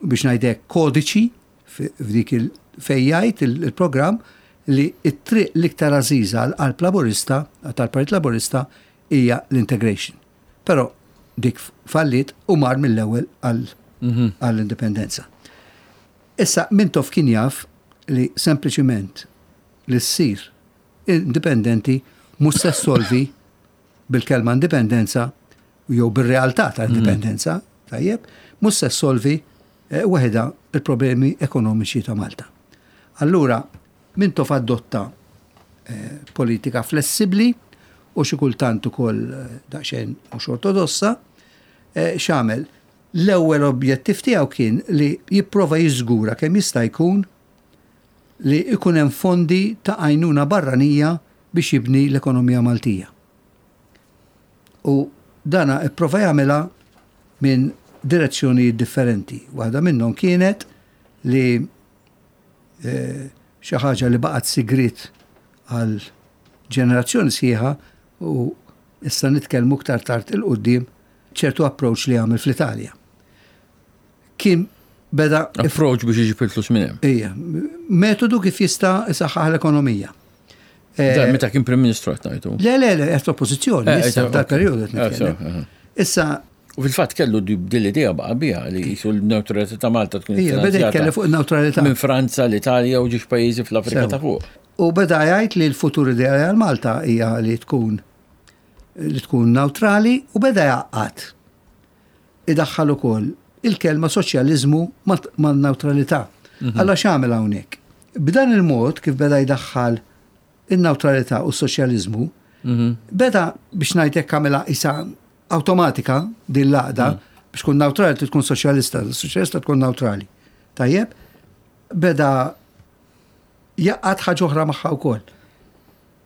Speaker 2: biex ngħidlek kodiċi f'dik il fejn jgħid il-programm li t-triq l-iktar għażiża għal qalb Laburista tal-Partit Laburista hija l-integration. Però dik falliet u mar mill-ewwel mhm. għall-indipendenza. Issa Mintoff kien jaf li sempliċiment li ssir indipendenti mhux se ssolvi bil-kelma indipendenza jew bir-realtà ta' indipendenza, tajjeb, mhux se ssolvi eh, waħedha il-problemi ekonomiċi ta' Malta. Allura, Mintoff adotta eh, politika flessibbli u xi kultant ukoll eh, daqsxejn mhux ortodossa, x'għamel? L-ewwel objettiv tiegħu kien li jipprova jiżgura kemm jista' jkun li jkun hemm fondi ta' għajnuna barranija biex jibni l-ekonomija Maltija. U dana ipprova jagħmilha minn direzzjonijiet differenti. Waħda minnhom kienet li eh, xi ħaġa li baqgħet sigriet għal ġenerazzjoni sħiħa u issa nitkellmu iktar tard il-qudiem ċertu approach li għamel fl-Italja. Kien beda.
Speaker 1: Approach biex iġib il-flus minn hemm.
Speaker 2: Ija, metodu kif jista' isaħħaħ l-ekonomija.
Speaker 1: Eh, Dan meta kien Prim Ministru qed ngħidu.
Speaker 2: Le, le, le, qed oppożizzjoni, eh, issa dal-perjodu qed nitkellem. Eh, issa
Speaker 1: U fil-fatt kellu din l-idea baqa' biha li jisu l-neutralità ta' Malta
Speaker 2: tkun. Ija, beda jitkellem fuq il-neutralità.
Speaker 1: Minn Franza, l-Italja u ġiex pajjiżi fl-Afrika ta' fuq.
Speaker 2: U beda jgħid li l-futur ideali għal Malta hija li tkun li tkun neutrali u beda jgħaqqad. idaħħal ukoll il-kelma soċjaliżmu man-newtralità. Alla x'għamel hawnhekk? B'dan il-mod kif beda jdaħħal in-newtralità u s-soċjaliżmu, beda biex ngħid hekk għamilha isa awtomatika din l-għaqda biex tkun newtrali tkun soċjalista, soċjalista tkun newtrali. Tajjeb, beda jgħaqqad ħaġa oħra magħha wkoll.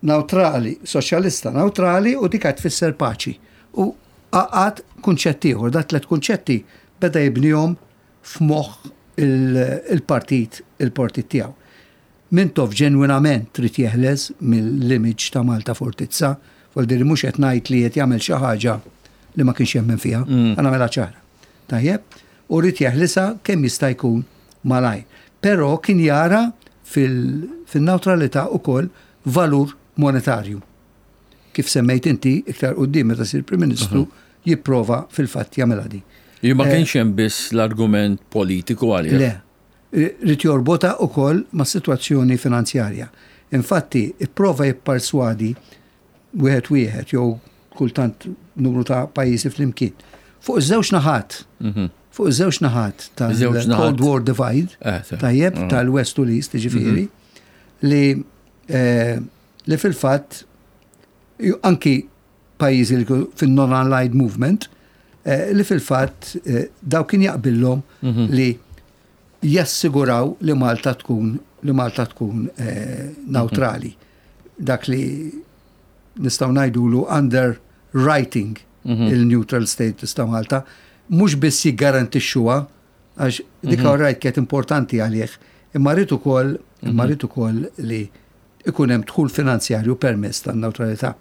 Speaker 2: Newtrali, soċjalista newtrali u dik tfisser paċi. U għaqqad kunċett ieħor, da tlet kunċetti beda jibnihom f'moħħ il-partit il-partit tiegħu. Mintoff ġenwinament trid jeħles mill-image ta' Malta Fortizza, vuol mhux qed ngħid li qed jagħmel xi ħaġa li ma kienx jemmen fiha, ħa nagħmilha ċara. Tajjeb, u rrid jeħlisa kemm jista' jkun malajr. Però kien jara fil-neutralità ukoll valur monetarju. Kif semmejt inti iktar quddiem meta sir Prim Ministru jipprova fil-fatt jagħmilha di.
Speaker 1: Ma kienx hemm biss l-argument politiku għalih.
Speaker 2: Le, ried jorbotha ukoll ma' situazzjoni finanzjarja. Infatti, ipprova jipperswadi wieħed wieħed jew kultant numru ta' pajjiżi flimkien. Fuq iż-żewġ naħat, fuq iż-żewġ naħat tal-Cold War Divide, tajjeb, tal-West u l-East, ġifieri, li li fil-fatt anki pajjiżi li fin-non-aligned movement, li fil-fatt daw kien jaqbillhom li jassiguraw li Malta tkun neutrali. Dak li nistgħu ngħidulu underwriting il-neutral status ta' Malta, mhux biss jiggarantixxuha għax dik right kienet importanti għalih, imma rrid ukoll li ikun hemm dħul finanzjarju permess tan-neutralità.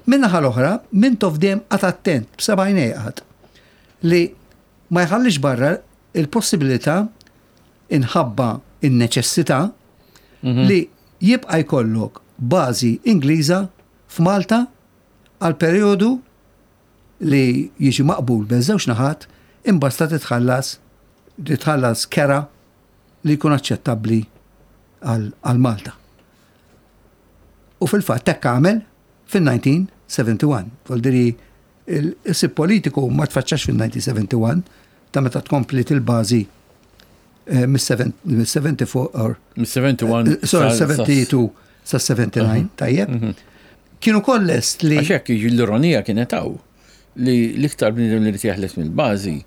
Speaker 2: Min-naħa l-oħra, Mintoff dejjem qagħad attent b'sebgħajn qagħad li ma jħallix barra il-possibilità inħabba in-neċessità li jibqa' jkollok bażi Ingliża f'Malta għal perjodu li jiġi maqbul bejn żewġ naħat imbasta titħallas kera li jkun aċċettabbli għal Malta. U fil-fatt hekk għamel fil-1971. Voldiri il-sib politiku ma tfaċċax fil-1971 ta' meta tkompli il-bażi mis-74 or
Speaker 1: Mis-71.
Speaker 2: Sorry, 72 sa 79, tajjeb. Kienu kollest li.
Speaker 1: Għax hekk l-ironija kienet hawn li l-iktar bniedem li jeħles mill-bażi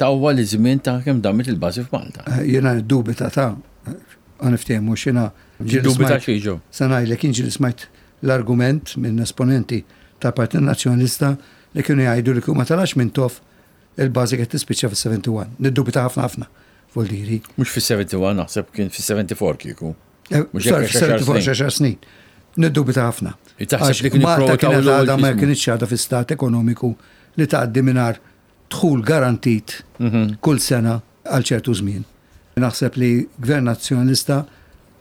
Speaker 1: tawwa li żmien ta' kemm damet il-bażi f'Malta.
Speaker 2: Jiena dubita ta' ħa niftehmu x'inha.
Speaker 1: Dubita xieġu.
Speaker 2: Sa ngħidlek inġi li smajt l-argument minn esponenti tal-Partit Nazzjonalista li kienu jgħidu li ma talax Mintoff il-bażi qed tispiċċa fis-71. Niddubita ħafna ħafna, voldiri.
Speaker 1: Mhux fis-71 naħseb kien fis-74 kieku.
Speaker 2: Mhux hekk 74 xar snin. Niddubita ħafna.
Speaker 1: Taħseb li kienu
Speaker 2: Malta
Speaker 1: jipprovaw
Speaker 2: kienet
Speaker 1: tawlu
Speaker 2: għadha ma
Speaker 1: l-ismu.
Speaker 2: kienx għadha fi stat ekonomiku li tgħaddi mingħajr dħul garantit kull sena għal ċertu żmien. Naħseb li gvern nazzjonalista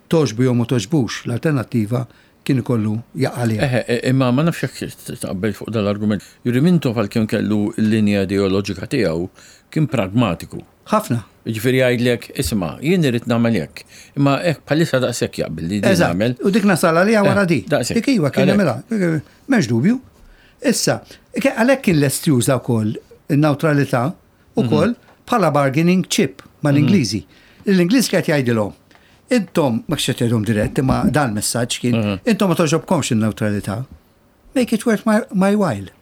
Speaker 2: togħġbu jew ma togħġbux l-alternattiva kien ikollu jaqa' għaliha.
Speaker 1: Eħe, imma ma nafx jekk taqbel fuq dal-argument. Juri Mintoff għalkemm kellu l-linja ideoloġika tiegħu kien pragmatiku.
Speaker 2: Ħafna.
Speaker 1: Ġifieri jgħidlek, isma', jien irrid nagħmel hekk. Imma hekk bħalissa daqshekk jaqbel li din
Speaker 2: Eżatt.
Speaker 1: nagħmel.
Speaker 2: U dik nasal għalija wara di.
Speaker 1: Daqshekk.
Speaker 2: Dik iwa kien
Speaker 1: Għalhekk.
Speaker 2: jagħmilha. M'hemmx dubju. Issa, għalhekk kien lest juża wkoll in-neutralità ukoll bħala bargaining chip mal-Ingliżi. L-Ingliż qed jgħidilhom. Intom, ma kienx qed jgħidhom dirett, imma dan messaġġ kien, intom ma togħġobkomx in-neutralità. Make it worth my while.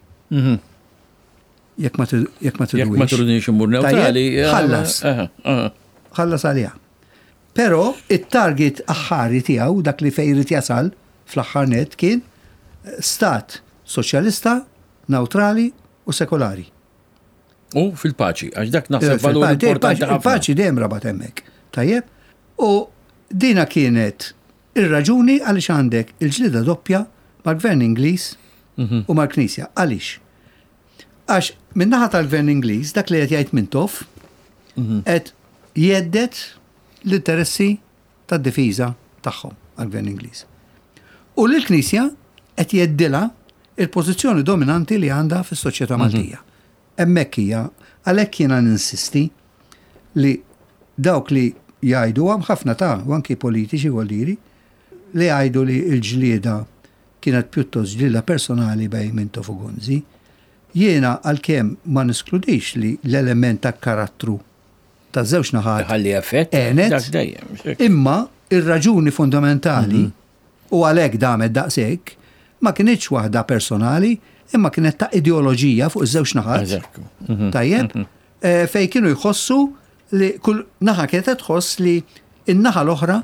Speaker 2: Jekk ma jekk ma
Speaker 1: Jekk ma
Speaker 2: tridux.
Speaker 1: tridux immur neutrali.
Speaker 2: Tajjeb, ħallas.
Speaker 1: Eħe, eħe.
Speaker 2: ħallas għaliha. Però it-target aħħari tiegħu dak li fejn irid jasal fl-aħħar net kien stat soċjalista, neutrali u sekolari.
Speaker 1: U fil-paċi, għax dak naħseb valur importanti ħafna.
Speaker 2: Il-paċi dejjem rabat hemmhekk. Tajjeb? U dina kienet ir-raġuni għaliex għandek il-ġlida doppja mal-Gvern Ingliż u mal-Knisja. Għaliex? Għax min-naħa tal-Gvern Ingliż dak li qed jgħid Mintoff qed jhedded l-interessi tad-difiża tagħhom għall-Gvern Ingliż. U l-Knisja qed jheddilha il-pożizzjoni dominanti li għandha fis-soċjetà Maltija. Hemmhekk hija għalhekk jiena ninsisti li dawk li jgħidu hemm ħafna ta' u anki politiċi voldiri li jgħidu li l-ġlieda kienet pjuttost ġlieda personali bejn Mintoff u Gonzi. Jiena għalkemm ma neskludix li l-element ta' karattru ta' żewġ naħat
Speaker 1: Ħalli effett.
Speaker 2: Għenet.
Speaker 1: Dak dejjem.
Speaker 2: Imma ir-raġuni fundamentali u għalhekk damet daqshekk ma kinitx waħda personali, imma kienet ta' ideoloġija fuq iż-żewġ naħat.
Speaker 1: Eżatt.
Speaker 2: Tajjeb, fej kienu jħossu li kull naħa kienet tħoss li in-naħa l-oħra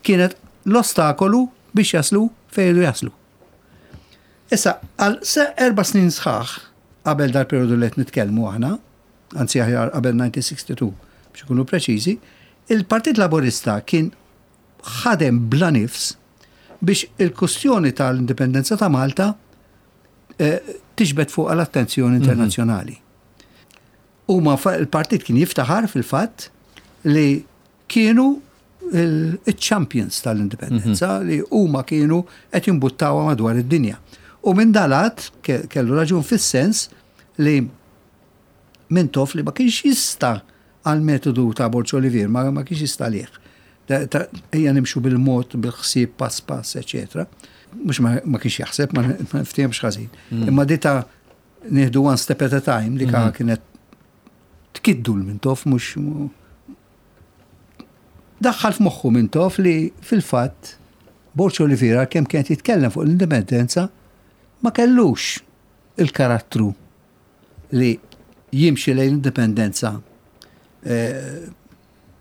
Speaker 2: kienet l-ostakolu biex jaslu fejn iridu jaslu. Issa, għal 4 snin sħaħ qabel dal-periodu li qed nitkellmu aħna, anzi aħjar qabel 1962 biex ikunu preċiżi, il-Partit Laburista kien ħadem bla nifs biex il-kustjoni tal-indipendenza ta' Malta tiġbed fuq l-attenzjoni internazzjonali. Huma il-partit kien jiftaħar fil-fatt li kienu il-champions tal-indipendenza li huma kienu qed jimbuttawha madwar id-dinja. U minn dalat kellu raġun fis-sens li Mintoff li ma kienx jista' għal metodu ta' Borg Olivier, ma kienx jista' lih. Ejja nimxu bil-mod, bil-ħsieb, pass pass, eccetera. Mhux ma kienx jaħseb, ma niftehemx ħażin. Imma di ta' nieħdu one step at a time li kienet tkiddu l-Mintoff mhux daħħal f'moħħu Mintoff li fil-fatt Borg Olivier kemm kienet jitkellem fuq l-indipendenza ma kellux il-karattru li jimxi lejn l-indipendenza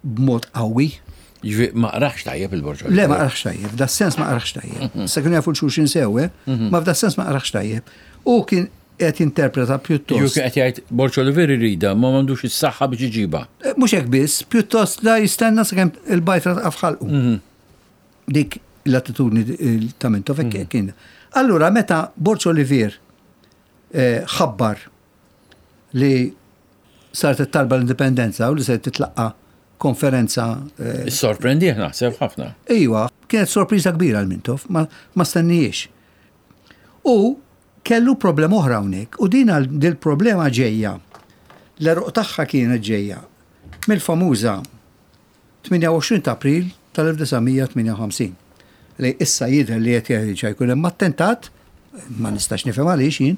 Speaker 2: b'mod qawwi.
Speaker 1: Ġifieri ma qrax tajjeb il-Borg.
Speaker 2: Le, ma qrax tajjeb, f'da sens ma qrax tajjeb. Sa kienu jafu xulxin sew, ma f'da sens ma qrax tajjeb. U kien qed jinterpreta pjuttost.
Speaker 1: Ġifieri qed jgħid Borg Olivier irida ma m'għandux is-saħħa biex iġibha.
Speaker 2: Mhux hekk biss, pjuttost la jistenna sakemm il-bajtra taqa' f'ħalqu. Dik l-attitudni ta' Mintoff hekk kien. Allura meta Borg Olivier ħabbar li saret it-talba l-indipendenza u li se titlaqqa konferenza.
Speaker 1: Sorprendih naħseb ħafna.
Speaker 2: Iwa, kienet sorpriża kbira l-Mintoff, ma stennijiex. U kellu problema oħra hawnhekk, u din dil-problema ġejja, l-għeruq tagħha kienet ġejja mill-famuża 28 ta' April tal-1958 li issa jidher li qed jerġa' jkun hemm attentat, ma nistax nifhem għaliex jien,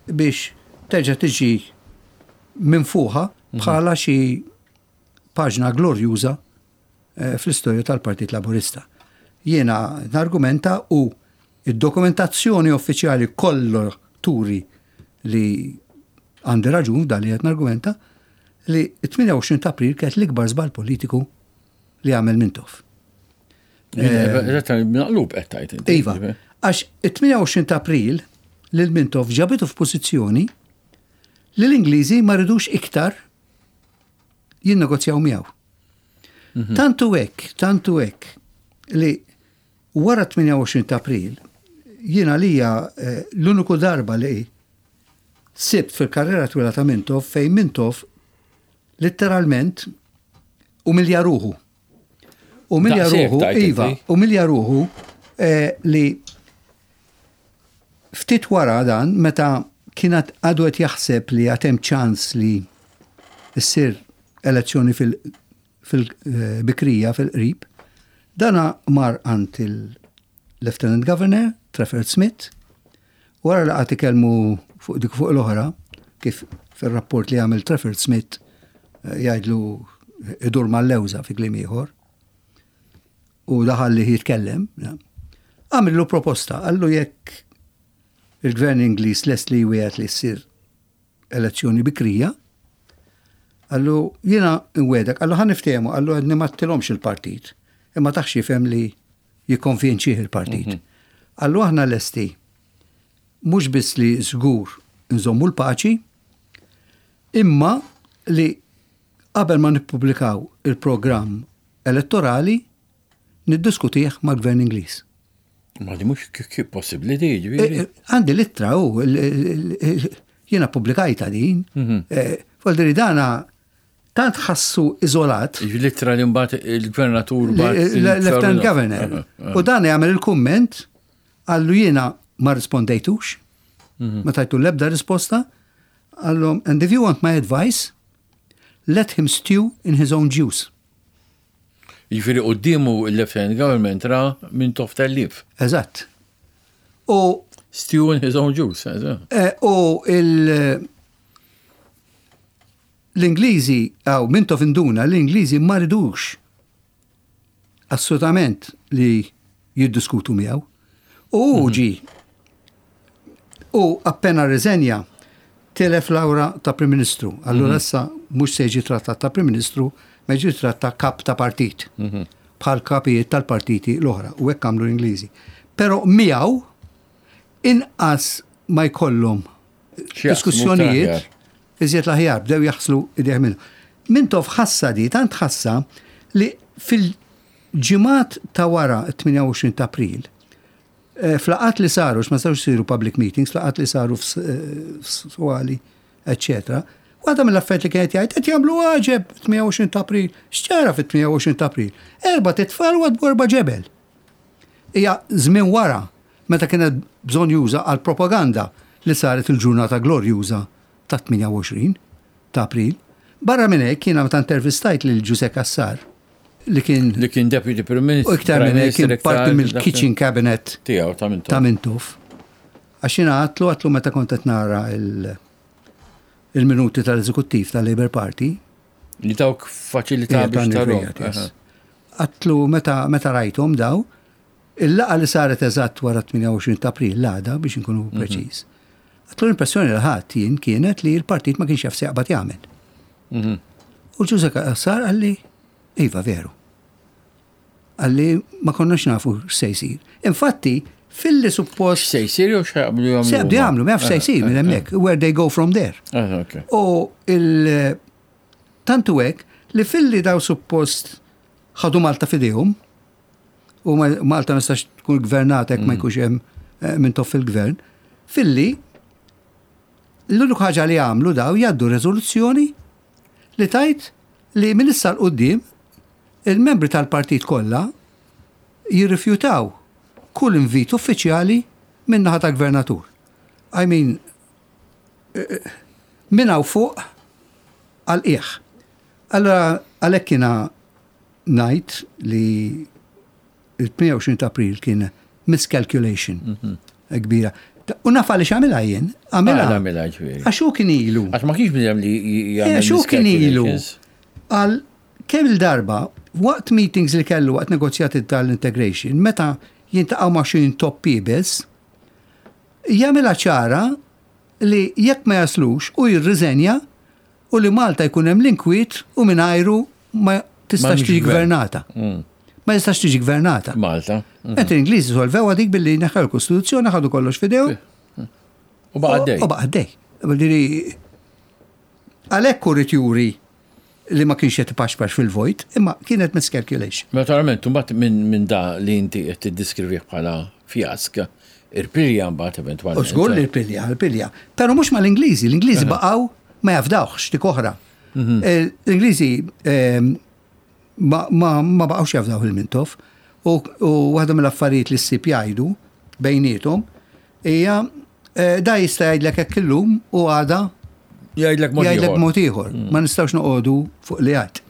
Speaker 2: biex terġa' tiġi minfuħa bħala xi paġna glorjuża fl-istorja tal-Partit Laburista. Jiena nargumenta u id-dokumentazzjoni uffiċjali kollu turi li għandi raġun dan li qed nargumenta li 28 ta' April kienet l-ikbar żball politiku li għamel Mintoff.
Speaker 1: Naqlub qed tgħid
Speaker 2: inti. Iva, għax it-28 ta' April lil Mintoff ġabitu f'pożizzjoni li l-Ingliżi ma ridux iktar jinnegozjaw miegħu. Tantu hekk li wara 28 ta' April jiena lija l-uniku darba li sibt fil-karriera twila ta' Mintoff fejn Mintoff letteralment umilja ruħu. Umilja
Speaker 1: Daqshekk
Speaker 2: ruħu,
Speaker 1: tajt
Speaker 2: iva,
Speaker 1: inti.
Speaker 2: umilja ruħu li ftit wara dan, meta kienet għadu qed jaħseb li għad hemm ċans li ssir elezzjoni fil-bikrija, fil-qrib, dana mar għand il-Lieutenant Governor, Trafford Smith, wara li qagħad ikellmu fuq dik fuq l-oħra, kif fil-rapport li għamil Trafford Smith jgħidlu idur mal-lewża fi kliem ieħor, u daħal li jitkellem, ja. Għamillu proposta, qallu jekk il-gvern Ingliż lest li jwiegħed li ssir elezzjoni bikrija, qallu jiena nwiegħdek, qallu ħa niftehmu, qallu għedni ma tilhomx il-partit, imma taħx jifhem li jikkonvinċih il-partit. Qallu aħna lesti mhux biss li żgur nżommu l-paċi, imma li qabel ma nippubblikaw il-programm elettorali niddiskutih mal-gvern Ingliż.
Speaker 1: Ma di mhux kif possibbli di, ġifieri.
Speaker 2: Għandi l-ittra u jiena pubblikajta din. Voldiri dana tant ħassu iżolat.
Speaker 1: L-ittra li mbagħad il-gvernatur bagħat
Speaker 2: Lieutenant Governor. U dan jagħmel il-kumment qallu jiena ma rispondejtux, ma tajtu l-ebda risposta, qallu, "And if you want my advice, let him stew in his own juice."
Speaker 1: Jiġifieri quddiemu il-Lieutenant Government ra Mintoff tellif.
Speaker 2: Eżatt. U
Speaker 1: Stew in his own juice. Eh,
Speaker 2: eh, u il- l-Ingliżi, għaw, Mintoff induna, l-Ingliżi ma ridux assolutament li jiddiskutu miegħu. U hu mhm. ġi. U appena rriżenja telef l-awra ta' Prim Ministru. Allura mhm. issa mhux se jiġi trattat ta' Prim Ministru, ma jiġi trattat kap ta' partit. Mhm. Bħal kapijiet tal-partiti l-oħra u hekk għamlu l-Ingliżi. Però miegħu inqas ma jkollhom diskussjonijiet iżjed l-aħjar bdew jaħslu idejh minnu. Mintoff ħassa di, tant ħassa li fil-ġimgħat ta' wara 28 ta' April, eh, flaqat li saru, ma setgħux isiru public meetings, flaqat li saru f'Swali, eccetera, Waħda mill-affarijiet li kienet jgħid qed jagħmlu għaġeb 28 ta' April. X'ġara fit-28 ta' April? Erba' titfal u erba' ġebel. Hija żmien wara meta kienet bżonn juża għal propaganda li saret il-ġurnata glorjuża tat-28 ta' April. Barra minn hekk jiena meta intervistajt lil Ġużè Cassar li kien
Speaker 1: li kien Deputy Prim
Speaker 2: Minister. U iktar minn hekk kien parti mill-kitchen cabinet
Speaker 1: tiegħu ta'
Speaker 2: Mintoff. Ta' Mintoff. Għax jiena għatlu għatlu meta kont qed nara il-minuti tal-eżekuttiv tal-Labour Party.
Speaker 1: Li dawk faċilità biex tarhom.
Speaker 2: Għatlu meta rajthom daw, Il-laqgħa li saret eżatt wara t-28 ta' April, l-għada biex inkunu mhm. preċiż. Għatlu l-impressjoni li ħadd jien kienet li l-partit ma kienx jaf se jaqbad jagħmel. Mhm. U Ġuże sar għalli, iva veru. Għalli ma konniex nafu x'se jsir. Infatti, filli suppost.
Speaker 1: Se jsir jew x'jaqbdu
Speaker 2: jagħmlu? Se jaqbdu jagħmlu, ma jafx se jsir minn hemmhekk, where they go from there.
Speaker 1: Ah,
Speaker 2: U il tantu hekk li filli daw suppost ħadu Malta fidejhom, u Malta ma tistax tkun gvernata jekk ma mm. jkunx hemm eh, minn toff il-gvern, filli l-unika ħaġa li għamlu daw jgħaddu rezoluzzjoni li tajt li minn issa l-qoddim il-membri tal-partit kollha jirrifjutaw kull invit uffiċjali minn naħa ta' gvernatur. I mean, eh, eh, minn hawn fuq għal qiegħ. Allora għalhekk jiena ngħid li il-28 ta' April kien miscalculation mhm. kbira. U naf għaliex għamilha jien.
Speaker 1: Għamilha. Għamilha ġifieri.
Speaker 2: Għax hu kien ilu.
Speaker 1: Għax ma kienx bniedem li
Speaker 2: jagħmel. Għax hu kien ilu. Għal kemm il-darba waqt meetings li kellu waqt negozjati tal-integration, meta jintaqgħu ma' xi top biss, jagħmilha ċara li jekk ma jaslux u jirriżenja u li Malta jkun hemm l-inkwiet u mingħajru ma tistax tiġi gvernata. Mm. Ma tistax tiġi gvernata.
Speaker 1: Malta.
Speaker 2: Mm. Mentri l-Ingliżi solvew dik billi neħħew il-Kostituzzjoni ħadu kollox fidew.
Speaker 1: U baqa' dej.
Speaker 2: U baqa' dej. Għalhekk hu juri li ma kienx qed ipaxpax fil-vojt, imma kienet miscalculation.
Speaker 1: Naturalment, mbagħad minn da li inti qed tiddiskrivih bħala fjask, irpilja mbagħad eventwalment.
Speaker 2: U żgur li rpilja, rpilja. Però mhux mal-Ingliżi, l-Ingliżi baqgħu ma jafdawhx dik oħra. Mhm. Eh, L-Ingliżi ehm, ma baqgħux jafdaw il-Mintoff u waħda mill-affarijiet li ssib jgħidu bejniethom hija eh, da jista' jgħidlek hekk illum u għada
Speaker 1: jgħidlek mod
Speaker 2: jgħidlek mod ieħor. Mm. Ma nistgħux noqogħdu fuq li għad.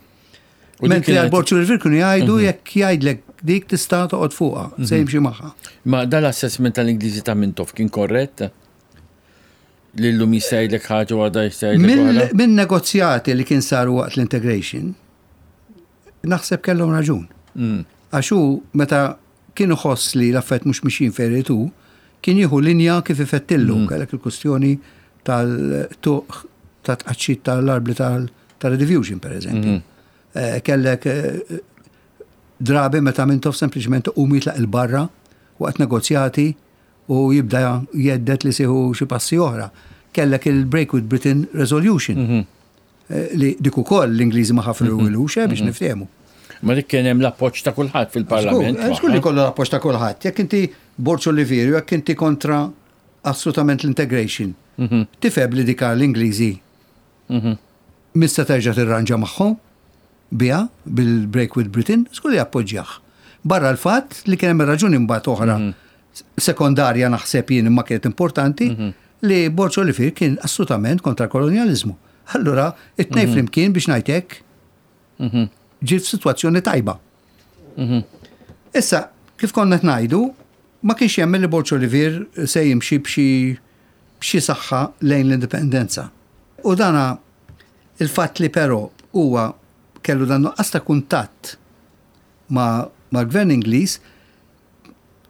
Speaker 2: Mentri għal Borċu River kienu jgħidu mhm. jekk jgħidlek dik tista' toqgħod fuqha, se mhm. jimxi magħha.
Speaker 1: Ma dal-assessment tal-Ingliżi ta' Mintoff kien korrett? Li llum jista' jgħidlek ħaġa u għada jista'
Speaker 2: jgħidlek. Minn negozjati li kien saru waqt l-integration, naħseb kellhom raġun. Mm. Għax hu meta kien iħoss li l-affarijiet mhux mixjin fejn irid hu, kien jieħu linja kif ifettillu, mm. kellek il-kustjoni tal-tuq ta' tqaċċit tal-arbli tal-rediffusion, per eżempju. Mm. Eh, kellek eh, drabi meta Mintoff sempliċement u jitlaq il-barra waqt negozjati u jibda jeddet li siħu xi passi oħra. Kellek il-Break with Britain Resolution. Mm -hmm. Eh, li dik ukoll l-Ingliżi ma ħafru mhm. ilux eh, biex mhm. niftehmu.
Speaker 1: Ma dik kien hemm l-appoġġ ta' kulħadd fil-Parlament.
Speaker 2: Eh, żgur li kollu l-appoġġ ta' kulħadd. Jekk inti Borġ Olivieri, jekk inti kontra assolutament l-integration, mhm. tifhem li dika l-Ingliżi mista terġa' tirranġa magħhom biha bil-Break with Britain, żgur li appoġġjah. Barra l-fatt li kien hemm raġuni mbagħad oħra sekondarja naħseb jien imma kienet importanti mhm. li Borġ Olivier kien assolutament kontra l-kolonjaliżmu. Allura, it-tnej mhm. flimkien biex ngħid mhm. ġiet f'sitwazzjoni tajba. Issa, kif konna ngħidu, Ma kienx jemmen li Borg Olivier se jimxi b'xi b'xi saħħa lejn l-indipendenza. U dana il-fatt li però huwa kellu dan nuqqas ta' kuntatt ma' mal-Gvern Ingliż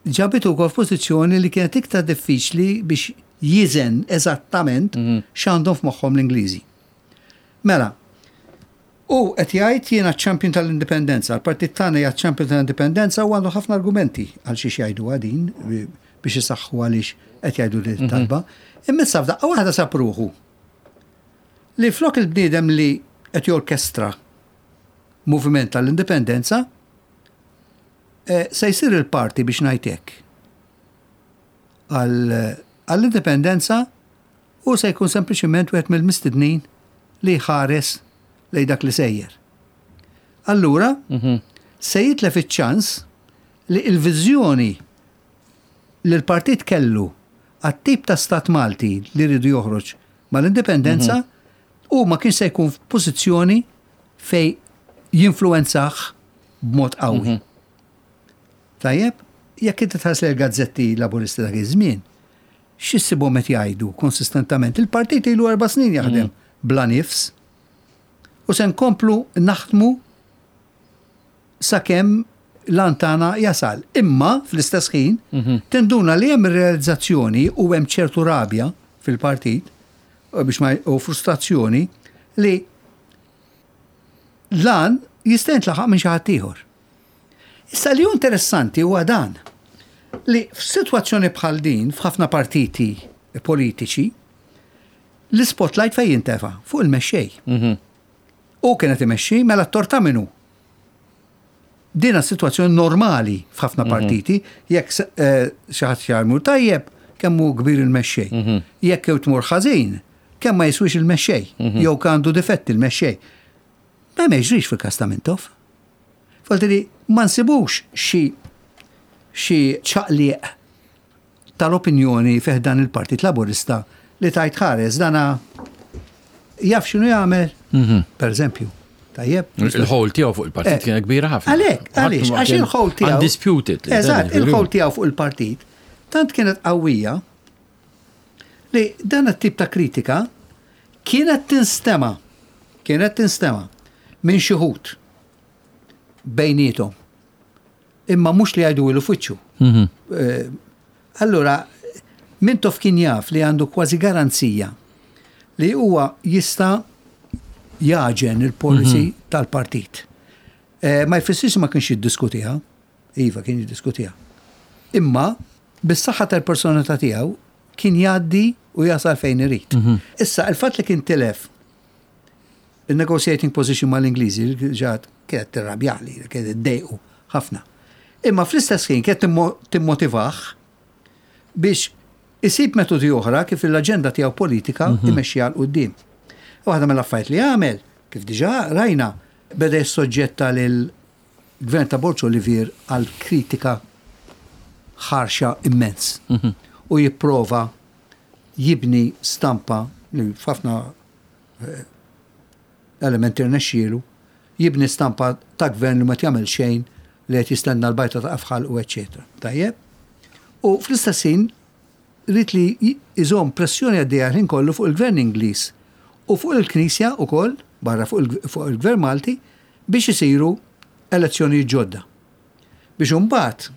Speaker 2: ġabitu wkoll f'pożizzjoni li kienet iktar diffiċli biex jiżen eżattament x'għandhom f'moħħhom l-Ingliżi. Mela, hu qed jgħid jiena ċ-champion tal-indipendenza, l-partit tagħna hija ċ-champion tal-indipendenza u għandu ħafna argumenti għal xiex jgħiduha din biex isaħħu għaliex qed jgħidu din it-talba. Imma issa f'daqqa waħda sab ruħu li flok il-bniedem li qed jorkestra moviment tal-indipendenza eh, se jsir il-parti biex ngħid hekk għall-indipendenza Hu se jkun sempliċement wieħed mill-mistednin li jħares lejn dak li sejjer. Allura, se jitlef iċ-ċans li l-viżjoni li l-partit kellu għat-tip ta' stat Malti li riedu joħroġ mal-indipendenza, hu ma kienx se jkun f'pożizzjoni fejn jinfluwenzah b'mod qawwi. Tajjeb, jekk inti tħares lejn il-gazzetti Laburisti dak iż-żmien, X'issibhom qed jgħidu konsistentament? Il-partit ilu erba' snin jaħdem bla nifs u se nkomplu naħdmu sakemm l-għan tagħna jasal. Imma fl-istess ħin tinduna li hemm ir-realizzazzjoni u hemm ċertu rabja fil-partit biex ma u frustrazzjoni li l-għan jista' jintlaħaq minn xi ħadd ieħor. Issa li hu interessanti huwa dan, li f'sitwazzjoni bħal din f'ħafna partiti politiċi, l-ispotlight fejn jintefa' fuq il-mexxej. Mhm. U kien qed imexxi mela t-tort ta' min hu. Din sitwazzjoni normali f'ħafna mhm. partiti, jekk eh, xi ħadd jagħmlu tajjeb, kemm hu kbir il-mexxej. Mhm. Jekk jew tmur ħażin, kemm ma jiswix il-mexxej, jew għandu difetti il-mexxej. Ma jiġrix fil-każ ta' Mintoff. Forti li ma nsibux xi xi ċaqliq tal-opinjoni fih dan il-Partit Laburista li tajt ħares dana jaf x'inhu jagħmel, mhm. per eżempju. Tajjeb.
Speaker 1: Il-ħol tiegħu fuq il-partit eh, kienet kbira ħafna.
Speaker 2: Għalhekk, għaliex, għax il-ħol tiegħu.
Speaker 1: Undisputed.
Speaker 2: Eżatt, il-ħol tiegħu fuq il-partit tant kienet qawwija li dan it-tip ta' kritika kienet tinstema' kienet tinstema' minn xi wħud bejniethom. Imma mhux li jgħiduhilu f'wiċċu. Mhm. Eh, allura, Mintoff kien jaf li għandu kważi garanzija li huwa jista' jaġen il-policy mhm. tal-partit. Eh, ma jfissirx ma kienx jiddiskutiha, iva kien jiddiskutiha. Imma bis-saħħa tal-personalità tiegħu kien jgħaddi u jasal fejn irid. Mhm. Issa, il-fatt li kien tilef il-negotiating position mal-Ingliżi ġat kienet tirrabjali, kienet iddejqu ħafna. Imma fl-istess ħin kienet timmotivah biex isib metodi oħra kif l-aġenda tiegħu politika mhm. imexxiha 'l quddiem. Waħda mill-affarijiet li għamel, kif diġà rajna, beda jissoġġetta lil Gvern ta' Borg Olivier għal kritika ħarxa immens. Mhm. U jipprova jibni stampa li f'ħafna eh, elementi rnexxielu, jibni stampa ta' gvern li ma jagħmel xejn li qed jistenna l-bajta ta' afħal u eċċetera. Tajjeb? U fl-istess ħin ried li jżomm pressjoni għaddejja l-ħin kollu fuq il-Gvern Ingliż u fuq il-Knisja wkoll, barra fuq il-Gvern Malti, biex isiru elezzjonijiet ġodda. Biex imbagħad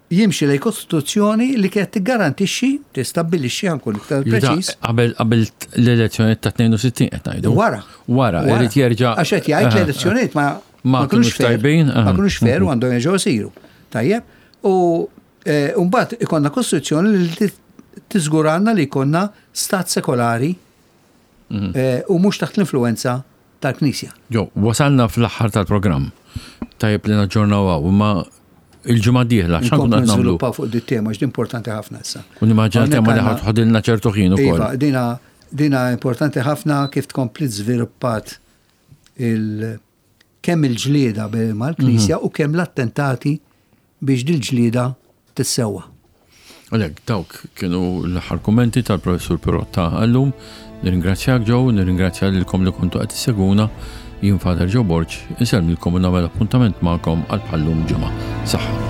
Speaker 2: jimxi lejn kostituzzjoni li kienet tiggarantixxi, tistabbilixxi ħankun iktar preċiż.
Speaker 1: Qabel qabel l-elezzjonijiet ta' 62 qed ngħidu.
Speaker 2: Wara.
Speaker 1: Wara, irid jerġa'
Speaker 2: Għax qed jgħid l-elezzjonijiet ma
Speaker 1: ma kinux tajbin.
Speaker 2: Ma kinux fair u għandhom jerġgħu jsiru. Tajjeb. U eh, mbagħad ikollna kostituzzjoni li tiżguranna li jkollna stat sekolari mhm. eh, u mhux taħt l-influenza tal-Knisja.
Speaker 1: Ġo, wasalna fl-aħħar tal-programm. Tajjeb li naġġornaw hawn, imma il-ġimgħa d-dieħla
Speaker 2: x'għandna nagħmlu? Niżviluppaw fuq dit tema x'di importanti ħafna issa.
Speaker 1: U nimmaġina tema li ħadilna ċertu ħin ukoll.
Speaker 2: Iva, dina dina importanti ħafna kif tkompli żviluppat il kemm il-ġlieda mal-Knisja mhm. u kemm l-attentati biex dil-ġlieda tissewwa.
Speaker 1: Għalhekk dawk kienu l-aħħar kummenti tal-Professur Pirotta għallum. Nirringrazzjak Joe, nirringrazzja lilkom li kontu qed issegwuna. Jien Father Joe Borg, insellmilkom u nagħmel appuntament magħkom għal bħallum ġimgħa. Saħħa.